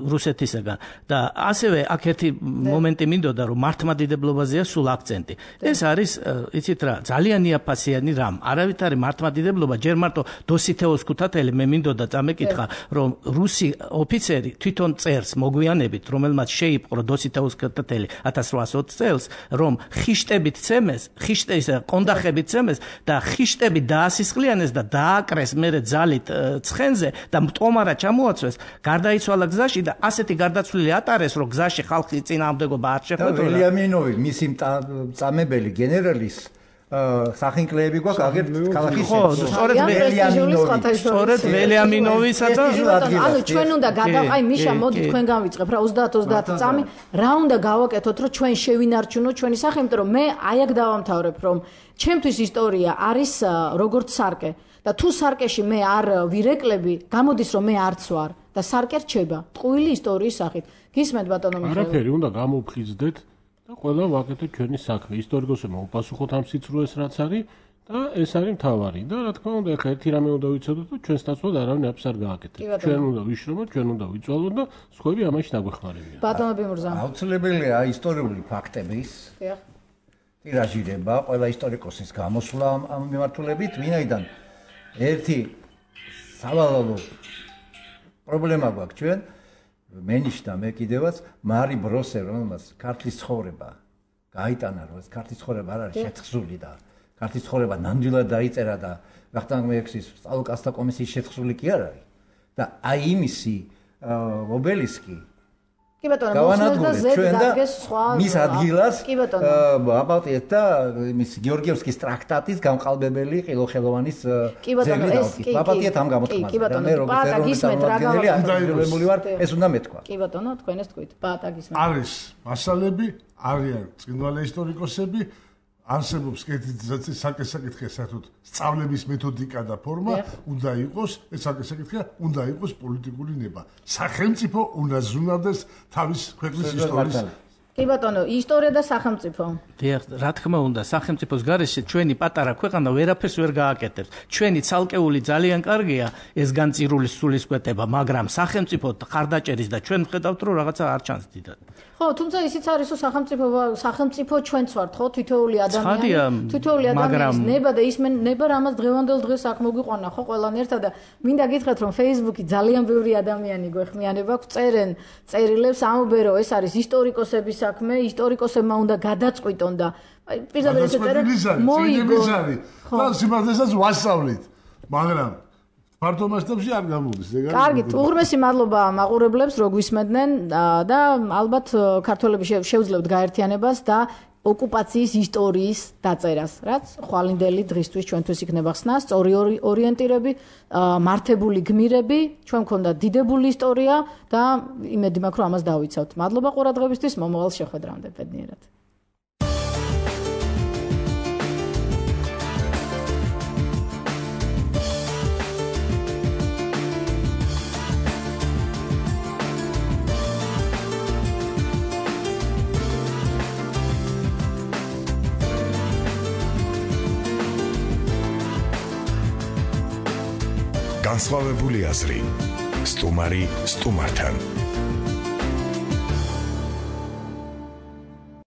S4: რუსეთისაგან. და ასევე აქ ერთი მომენტი მინდოდა რომ მართლმადიდებლობაზეა სულ აქცენტი. ეს არის იცით რა, ძალიან იაფასიანი რამ. არავითარი მართლმადიდებლობა ჯერ მარტო დოსითეოს ქუთათელი მე მინდოდა წამეკითხა რომ რუსი ოფიცერი თვითონ წერს მოგვიანებით რომელმაც შეიპყრო დოსითეოს ქუთათელი 1820 წელს რომ ხიშტებით ცემეს, ხიშტის კონდახებით ცემეს და ხიშტები დაასისხლიანეს და დააკრეს მერე ძალით ცხენზე და მტომარა ჩამოაცვეს, გარდაიცვალა გზაში და ასეთი გადაცვლილი ატარეს, რომ გზაში ხალხი წინააღმდეგობა არ შეხვედრა.
S6: ველიამინოვი, მისი წამებელი გენერალის სახინკლეები გვაქვს აგერ ქალაქის
S4: სწორედ ველიამინოვისა და
S2: ანუ ჩვენ უნდა გადავყავ მიშა მოდი თქვენ გავიწყებ რა 30-30 წამი რა უნდა გავაკეთოთ რომ ჩვენ შევინარჩუნოთ ჩვენი სახე, იმიტომ რომ მე აი აქ დავამთავრებ რომ ჩემთვის ისტორია არის როგორც სარკე და თუ სარკეში მე არ ვირეკლები, გამოდის რომ მე არც ვარ და სარკე რჩება ტყუილი ისტორიის სახით. გისმენთ ბატონო მიხეილ?
S3: არაფერი უნდა გამოვხიზდეთ და ყველა ვაკეთოთ ჩვენი საქმე. ისტორიკოსებმა უპასუხოთ ამ სიცრუეს რაც არის და ეს არის მთავარი. და რა თქმა უნდა, ახლა ერთი რამე უნდა ვიცოდოთ, რომ ჩვენს ნაცვლად არავინ აფს არ გააკეთებს. ჩვენ უნდა ვიშრომოთ, ჩვენ უნდა ვიწვალოთ და სხვები ამაში დაგვეხმარებიან.
S2: ბატონო ბიმურზა.
S6: აუცილებელია ისტორიული ფაქტების ტირაჟირება, ყველა ისტორიკოსის გამოსვლა ამ მიმართულებით, ვინაიდან ერთი სავალალო პრობლემა გვაქვს ჩვენ მენიშნა მე კიდევაც მარი ბროსე რომელმაც ქართლის ცხოვრება გაიტანა, რომ ეს ქართლის ცხოვრება არ არის შეთხზული და ქართლის ცხოვრება ნამდვილად დაიწერა და ვახტანგ-მეექსის სწავლულკაცთა კომისიის შეთხზული კი არ არის და აი იმისი ობელისკი
S2: კი ბატონო, მოსვლას და ზედ დაგეს სხვა
S6: მის ადგილას აბალტიეთ და მის გეორგიევსკის ტრაქტატის გამყალბებელი ყილოხელოვანის ძეგლი დავკით. აბალტიეთ ამ გამოთქმაზე. მე როგორც ეროვნული წარმომადგენელი აკრძალებული ვარ, ეს უნდა მეთქვა.
S2: კი ბატონო, თქვენ ეს თქვით. ბატა გისმენთ.
S5: არის მასალები, არიან წინვალე ისტორიკოსები, არსებობს კეთილი საკითხია საერთოდ სწავლების მეთოდიკა და ფორმა, უნდა იყოს ეს საკითხია, უნდა იყოს პოლიტიკური ნება. სახელმწიფო უნდა ზრუნავდეს თავის ქვეყნის ისტორიის.
S2: კი ბატონო, ისტორია და სახელმწიფო.
S4: დიახ, რა თქმა უნდა, სახელმწიფოს გარეშე ჩვენი პატარა ქვეყანა ვერაფერს ვერ გააკეთებს. ჩვენი ცალკეული ძალიან კარგია ეს განწირული სულისკვეთება, მაგრამ სახელმწიფო ხარდაჭერის და ჩვენ ხედავთ რომ რაღაცა არ ჩანს დიდად.
S2: ხო, თუმცა ისიც არის რომ სახელმწიფო ჩვენც ვართ, ხო, თითოეული ადამიანის ნება და ის ნება რამაც დღევანდელ დღეს აქ მოგვიყვანა, ხო, ყველანი ერთად და მინდა გითხრათ რომ Facebook-ი ძალიან ბევრი ადამიანი გვეხმიანება, წერენ წერილებს, ამბობენ რომ ეს არის ისტორიკოსების საქმე, ისტორიკოსებმა უნდა გადაწყვიტონ და პირდაპირ ესე წერენ მოიგო.
S5: და სიმართლესაც ვასწავლით, მაგრამ ფართო მასშტაბში არ გამოდის.
S2: კარგით, უღრმესი მადლობა მაყურებლებს, რომ გვისმენდნენ და ალბათ ქართველები შეუძლებთ გაერთიანებას და ოკუპაციის ისტორიის დაწერას, რაც ხვალინდელი დღისთვის ჩვენთვის იქნება ხსნა, სწორი ორიენტირები, მართებული გმირები, ჩვენ მქონდა დიდებული ისტორია და იმედი მაქვს, რომ ამას დავიცავთ. მადლობა ყურადღებისთვის, მომავალ შეხვედრამდე ბედნიერად.
S1: განსხვავებული აზრი. სტუმარი სტუმართან.